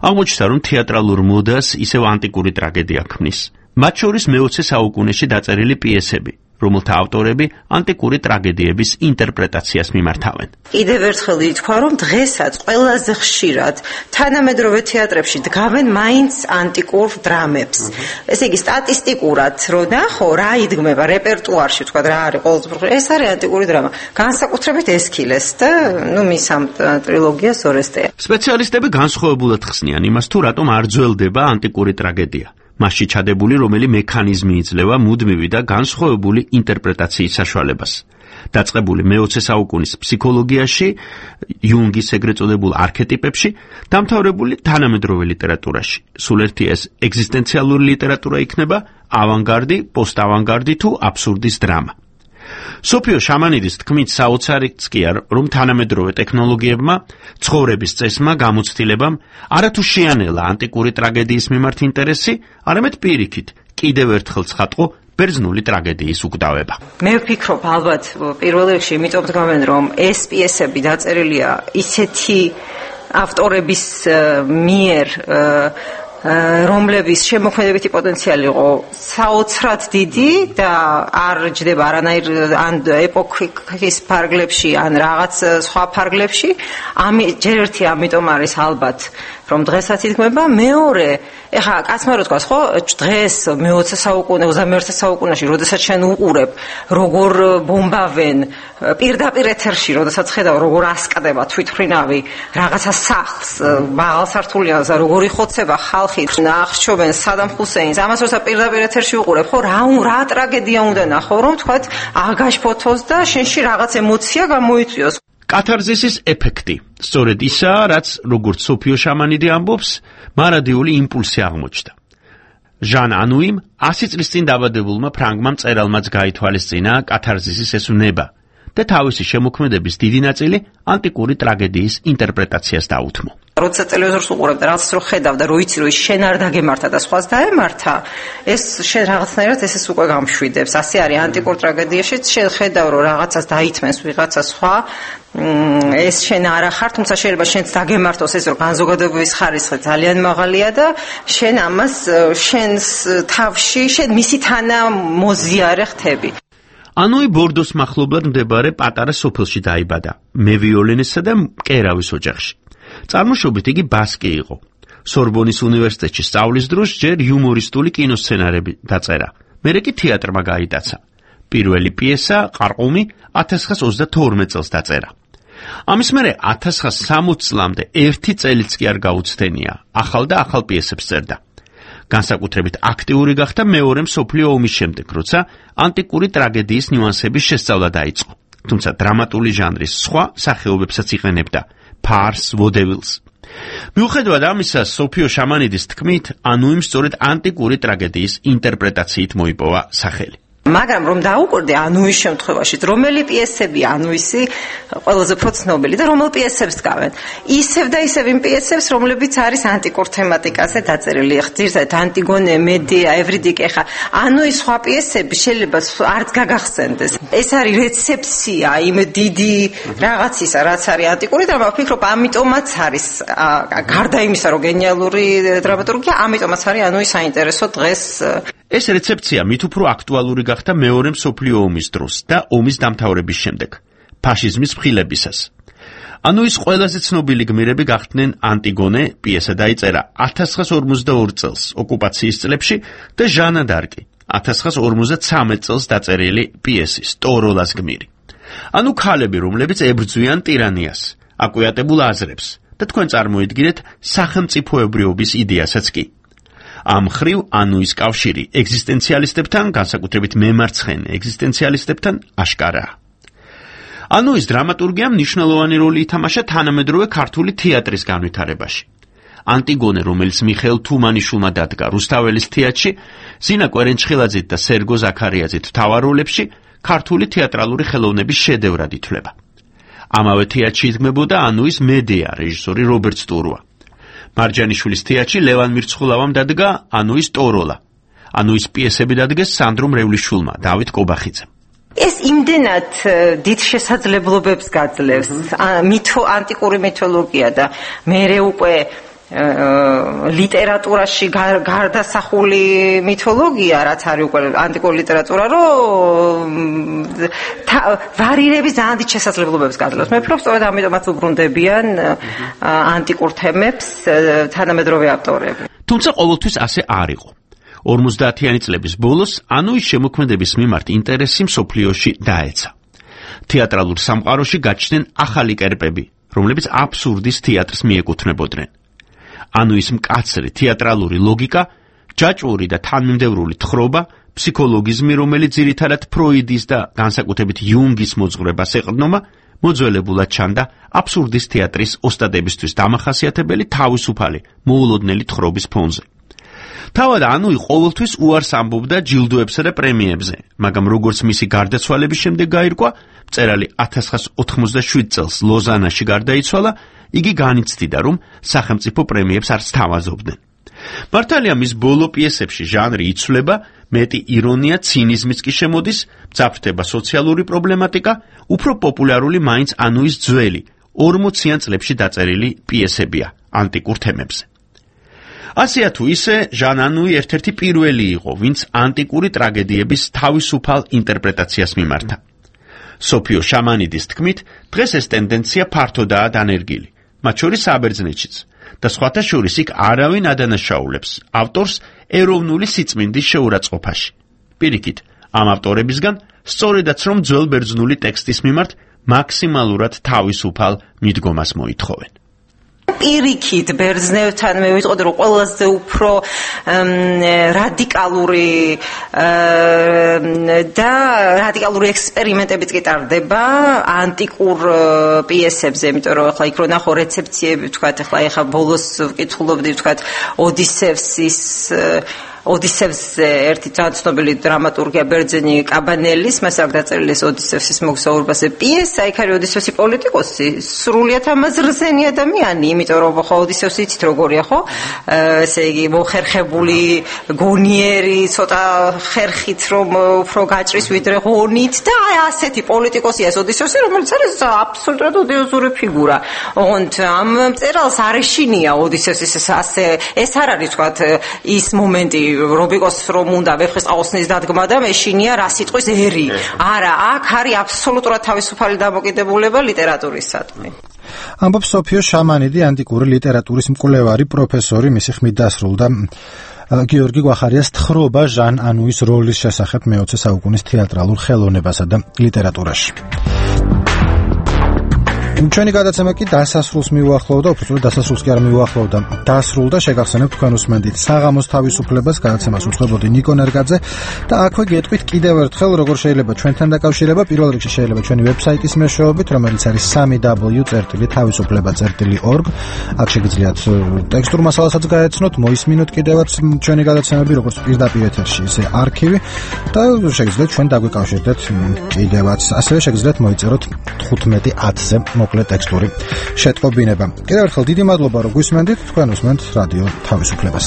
აღმოჩნდა, რომ თეატრალურ მოდას ისევ ანტიკური ტრაგედია ქმნის. მათ შორის მე-20 საუკუნეში დაწერილი პიესები, რომელთა ავტორები ანტიკური ტრაგედიების ინტერპრეტაციას მიმართავენ. კიდევ ერთხელ ითქვა, რომ დღესაც ყველაზე ხშირად თანამედროვე თეატრებში დგავენ მაინც ანტიკურ დრამებს. ესე იგი, სტატისტიკურად რო ნახო, რა იდგმება რეპერტუარში, თქვა რა არის ყოველდღიური, ეს არის ანტიკური დრამა. განსაკუთრებით ესქილეს და მის ამ ტრილოგიას ორესტეა. სპეციალისტები განსხვავებულად ხსნიან იმას, თუ რატომ არ ძველდება ანტიკური ტრაგედია. მასში ჩადებული რომელი მექანიზმი იძლევა მუდმივი და განსხვავებული ინტერპრეტაციის საშუალებას. დაწყებული მე-20 საუკუნის ფსიქოლოგიაში, იუნგის ეგრეთ წოდებულ არქეტიპებში, დამთავრებული თანამედროვე ლიტერატურაში. სულ ერთი ეს ეგზისტენციალური ლიტერატურა იქნება, ავანგარდი, პოსტავანგარდი თუ აბსურდის დრამა. სოფიო შამანიდის თქმით, საოცარიც კი არ, რომ თანამედროვე ტექნოლოგიებმა, ცხოვრების წესმა, გამოცდილებამ არათუ შეანელა ანტიკური ტრაგედიის მიმართ ინტერესი, არამედ პირიქით, კიდევ ერთხელ ცხადყო ბერძნული ტრაგედიის უკდავება. მე ვფიქრობ, ალბათ პირველ რიგში იმიტომ დგავენ, რომ ეს პიესები დაწერილია ისეთი ავტორების მიერ, რომლების შემოქმედებითი პოტენციალი იყო საოცრად დიდი და არ ჯდება არანაირ ან ეპოქის ფარგლებში ან რაღაც სხვა ფარგლებში. ჯერ ერთი ამიტომ არის ალბათ, რომ დღესაც იდგმება. მეორე, ეხლა კაცმა რო თქვას, ხო, დღეს მე-20 საუკუნე, 21 საუკუნეში, როდესაც შენ უყურებ, როგორ ბომბავენ პირდაპირ ეთერში, როდესაც ხედავ, როგორ ასკდება თვითმფრინავი რაღაცა სახლს, მაღალსართულიანს და როგორ იხოცება ხალხი, აღსჩობენ სადამ ჰუსეინს, ამას როცა პირდაპირ ეთერში უყურებ, ხო, რა ტრაგედია უნდა ნახო, რომ თქვათ, აგაშფოთოს და შენში რაღაც ემოცია გამოიწვიოს. კათარზისის ეფექტი სწორედ ისაა, რაც როგორც სოფიო შამანიდი ამბობს, მარადიული იმპულსი აღმოჩნდა. ჟან ანუიმ 100 წლის წინ დაბადებულმა ფრანგმა მწერალმაც გაითვალისწინა კათარზისის ეს უნება და თავისი შემოქმედების დიდი ნაწილი ანტიკური ტრაგედიის ინტერპრეტაციას დაუთმო. როცა ტელევიზორს უყურებ და რაღაც რო ხედავ და რო იცი რომ ის შენ არ დაგემართა და სხვას დაემართა, ეს შენ რაღაცნაირად ეს უკვე გამშვიდებს. ასე არის ანტიკურ ტრაგედიაშიც, შენ ხედავ რომ რაღაცას დაითმენს ვიღაცა სხვა, ეს შენ არ ახარ, თუმცა შეიძლება შენც დაგემართოს ეს რომ განზოგადების ხარისხი ძალიან მაღალია და შენ ამას შენს თავში შენ მისი თანამოზიარე ხდები. ანუი ბორდოს მახლობლად მდებარე პატარა სოფელში დაიბადა, მევიოლენესა და მკერავის ოჯახში. წარმოშობით იგი ბასკი იყო. სორბონის უნივერსიტეტში სწავლის დროს ჯერ იუმორისტული კინოსცენარები დაწერა. მერე კი თეატრმა გაიტაცა. პირველი პიესა ყარყუმი 1932 წელს დაწერა. ამის მერე 1960 წლამდე ერთი წელიც კი არ გაუცდენია, ახალ და ახალ პიესებს წერდა. განსაკუთრებით აქტიური გახდა მეორე მსოფლიო ომის შემდეგ, როცა ანტიკური ტრაგედიის ნიუანსების შესწავლა დაიწყო. თუმცა დრამატული ჟანრის სხვა სახეობებსაც იყენებდა, ფარს, ვოდებილს. მიუხედავად ამისა, სოფიო შამანიდის თქმით, ანუიმ სწორედ ანტიკური ტრაგედიის ინტერპრეტაციით მოიპოვა სახელი. მაგრამ რომ დაუკვირდე ანუის შემთხვევაში, რომელი პიესები ანუისი ყველაზე უფრო ცნობილი და რომელ პიესებს დგავენ. ისევ და ისევ იმ პიესებს, რომლებიც არის ანტიკურ თემატიკაზე დაწერილი. ხშირად ანტიგონე, მედეა, ევრიდიკე, ხა ანუის სხვა პიესები შეიძლება არც გაგახსენდეს. ეს არის რეცეფცია იმ დიდი რაღაცისა, რაც არის ანტიკური დრამა. ვფიქრობ, ამიტომაც არის გარდა იმისა, რომ გენიალური დრამატურგია, ამიტომაც არის ანუი საინტერესო დღეს. ეს რეცეფცია მით უფრო აქტუალური გახდა მეორე მსოფლიო ომის დროს და ომის დამთავრების შემდეგ, ფაშიზმის მხილებისას. ანუის ყველაზე ცნობილი გმირები გახდნენ ანტიგონე, პიესა დაიწერა 1942 წელს ოკუპაციის წლებში და ჟანა დარკი 1953 წელს დაწერილი პიესი სტოროლას გმირი. ანუ ქალები, რომლებიც ებრძვიან ტირანიას, აკვიატებულ აზრებს და თქვენ წარმოიდგინეთ სახელმწიფოებრიობის იდეასაც კი. ამ ხრივ ანუის კავშირი ეგზისტენციალისტებთან, განსაკუთრებით მემარცხენე ეგზისტენციალისტებთან აშკარაა. ანუის დრამატურგიამ მნიშვნელოვანი როლი ითამაშა თანამედროვე ქართული თეატრის განვითარებაში. ანტიგონე, რომელიც მიხეილ თუმანიშვილმა დადგა რუსთაველის თეატრში, ზინა კვერენჩხილაძით და სერგო ზაქარიაძით მთავარ როლებში, ქართული თეატრალური ხელოვნების შედევრად ითვლება. ამავე თეატრში იდგმებოდა ანუის მედეა, რეჟისორი რობერტ სტურვა. მარჯანიშვილის თეატრში ლევან მირცხულავამ დადგა ანუის ტოროლა. ანუის პიესები დადგეს სანდრო მრევლიშვილმა, დავით კობახიძემ. ეს იმდენად დიდ შესაძლებლობებს გაძლევს ანტიკური მითოლოგია და მერე უკვე ლიტერატურაში გარდასახული მითოლოგია, რაც არის უკვე ანტიკური ლიტერატურა, რომ ვარირების ძალიან დიდ შესაძლებლობებს გაძლევს. მე ვფიქრობ, სწორედ ამიტომაც უბრუნდებიან ანტიკურ თემებს თანამედროვე ავტორები. თუმცა ყოველთვის ასე არ იყო. 50-იანი წლების ბოლოს ანუის შემოქმედების მიმართ ინტერესი მსოფლიოში დაეცა. თეატრალურ სამყაროში გაჩნდნენ ახალი კერპები, რომლებიც აბსურდის თეატრს მიეკუთვნებოდნენ. ანუის მკაცრი თეატრალური ლოგიკა, ჯაჭვური და თანმიმდევრული თხრობა, ფსიქოლოგიზმი, რომელიც ძირითადად ფროიდის და განსაკუთრებით იუნგის მოძღვრებას ეყრდნობა, მოძველებულად ჩანდა აბსურდის თეატრის ოსტადებისთვის დამახასიათებელი თავისუფალი, მოულოდნელი თხრობის ფონზე. თავად ანუი ყოველთვის უარს ამბობდა ჯილდოებსა და პრემიებზე, მაგრამ როგორც მისი გარდაცვალების შემდეგ გაირკვა, მწერალი 1987 წელს ლოზანაში გარდაიცვალა, იგი განიცდიდა, რომ სახელმწიფო პრემიებს არ სთავაზობდნენ. მართალია, მის ბოლო პიესებში ჟანრი იცვლება, მეტი ირონია, ცინიზმიც კი შემოდის, მძაფრდება სოციალური პრობლემატიკა, უფრო პოპულარული მაინც ანუის ძველი 40-იან წლებში დაწერილი პიესებია ანტიკურ თემებზე. ასეა თუ ისე, ჟან ანუი ერთ-ერთი პირველი იყო, ვინც ანტიკური ტრაგედიების თავისუფალ ინტერპრეტაციას მიმართა. სოფიო შამანიდის თქმით, დღეს ეს ტენდენცია ფართოდაა დანერგილი, მათ შორის საბერძნეთშიც, და სხვათა შორის იქ არავინ ადანაშაულებს ავტორს ეროვნული სიწმინდის შეურაცხყოფაში. პირიქით, ამ ავტორებისგან სწორედაც რომ ძველ ბერძნული ტექსტის მიმართ მაქსიმალურად თავისუფალ მიდგომას მოითხოვენ. პირიქით ბერძნევთან მე ვიტყოდი რომ ყველაზე უფრო რადიკალური ექსპერიმენტებიც კი ტარდება ანტიკურ პიესებზე, იმიტომ რომ ახლა იქ რო ნახო რეცეპციები, ვთქვათ, ახლა ბოლოს ვკითხულობდი, ვთქვათ, ოდისევსზე ერთი ცნობილი დრამატურგია ბერძენი კაბანელის, მას აქვს დაწერილი ეს ოდისევსის მოგზაურობაზე პიესა, იქ არის ოდისევსი პოლიტიკოსი, სრულიად ამაზრზენი ადამიანი, იმიტომ რომ ხო ოდისევსი იცით როგორია, ხო? ესე იგი მოხერხებული, გონიერი, ცოტა ხერხით რომ უფრო გაჭრის ვიდრე ღონით და ასეთი პოლიტიკოსია ეს ოდისევსი, რომელიც არის აბსოლუტურად ოდიოზური ფიგურა. ოღონდ ამ მწერალს არ ეშინია ოდისევსის ასე ეს არ არის თქვათ ის მომენტი რობიკოს რომ უნდა ვეფხის ყაოსნის დადგმა და მეშინია რა სიტყვის ერი. არა, აქ არის აბსოლუტურად თავისუფალი დამოკიდებულება ლიტერატურისადმი. ამბობს სოფიო შამანიდი, ანტიკური ლიტერატურის მკვლევარი, პროფესორი, მისი ხმით დასრულდა გიორგი გვახარიას თხრობა ჟან ანუის როლის შესახებ მე-20 საუკუნის თეატრალურ ხელოვნებასა და ლიტერატურაში. ჩვენი გადაცემა კი დასასრულს მიუახლოვდა, უბრალოდ დასასრულს კი არ მიუახლოვდა, დასრულდა. შეგახსენებთ თქვენ უსმენდით საღამოს თავისუფლებას, გადაცემას უწყებოდი ნიკო ნერგაძე და აქვე გეტყვით კიდევ ერთხელ როგორ შეიძლება ჩვენთან დაკავშირება. პირველ რიგში შეიძლება ჩვენი ვებსაიტის მეშვეობით, რომელიც არის www.tavisufleba.org. აქ შეგიძლიათ ტექსტურ მასალასაც გაეცნოთ, მოისმინოთ კიდევაც ჩვენი გადაცემები, როგორც პირდაპირ ეთერში, ისე არქივი და შეგიძლიათ ჩვენ დაგვიკავშირდეთ კიდევაც. ასევე შეგიძლიათ მოიწეროთ 15-10-ზე მოკლე ტექსტური შეტყობინება. კიდევ ერთხელ დიდი მადლობა რომ გვისმენდით, თქვენ უსმენთ რადიო თავისუფლებას.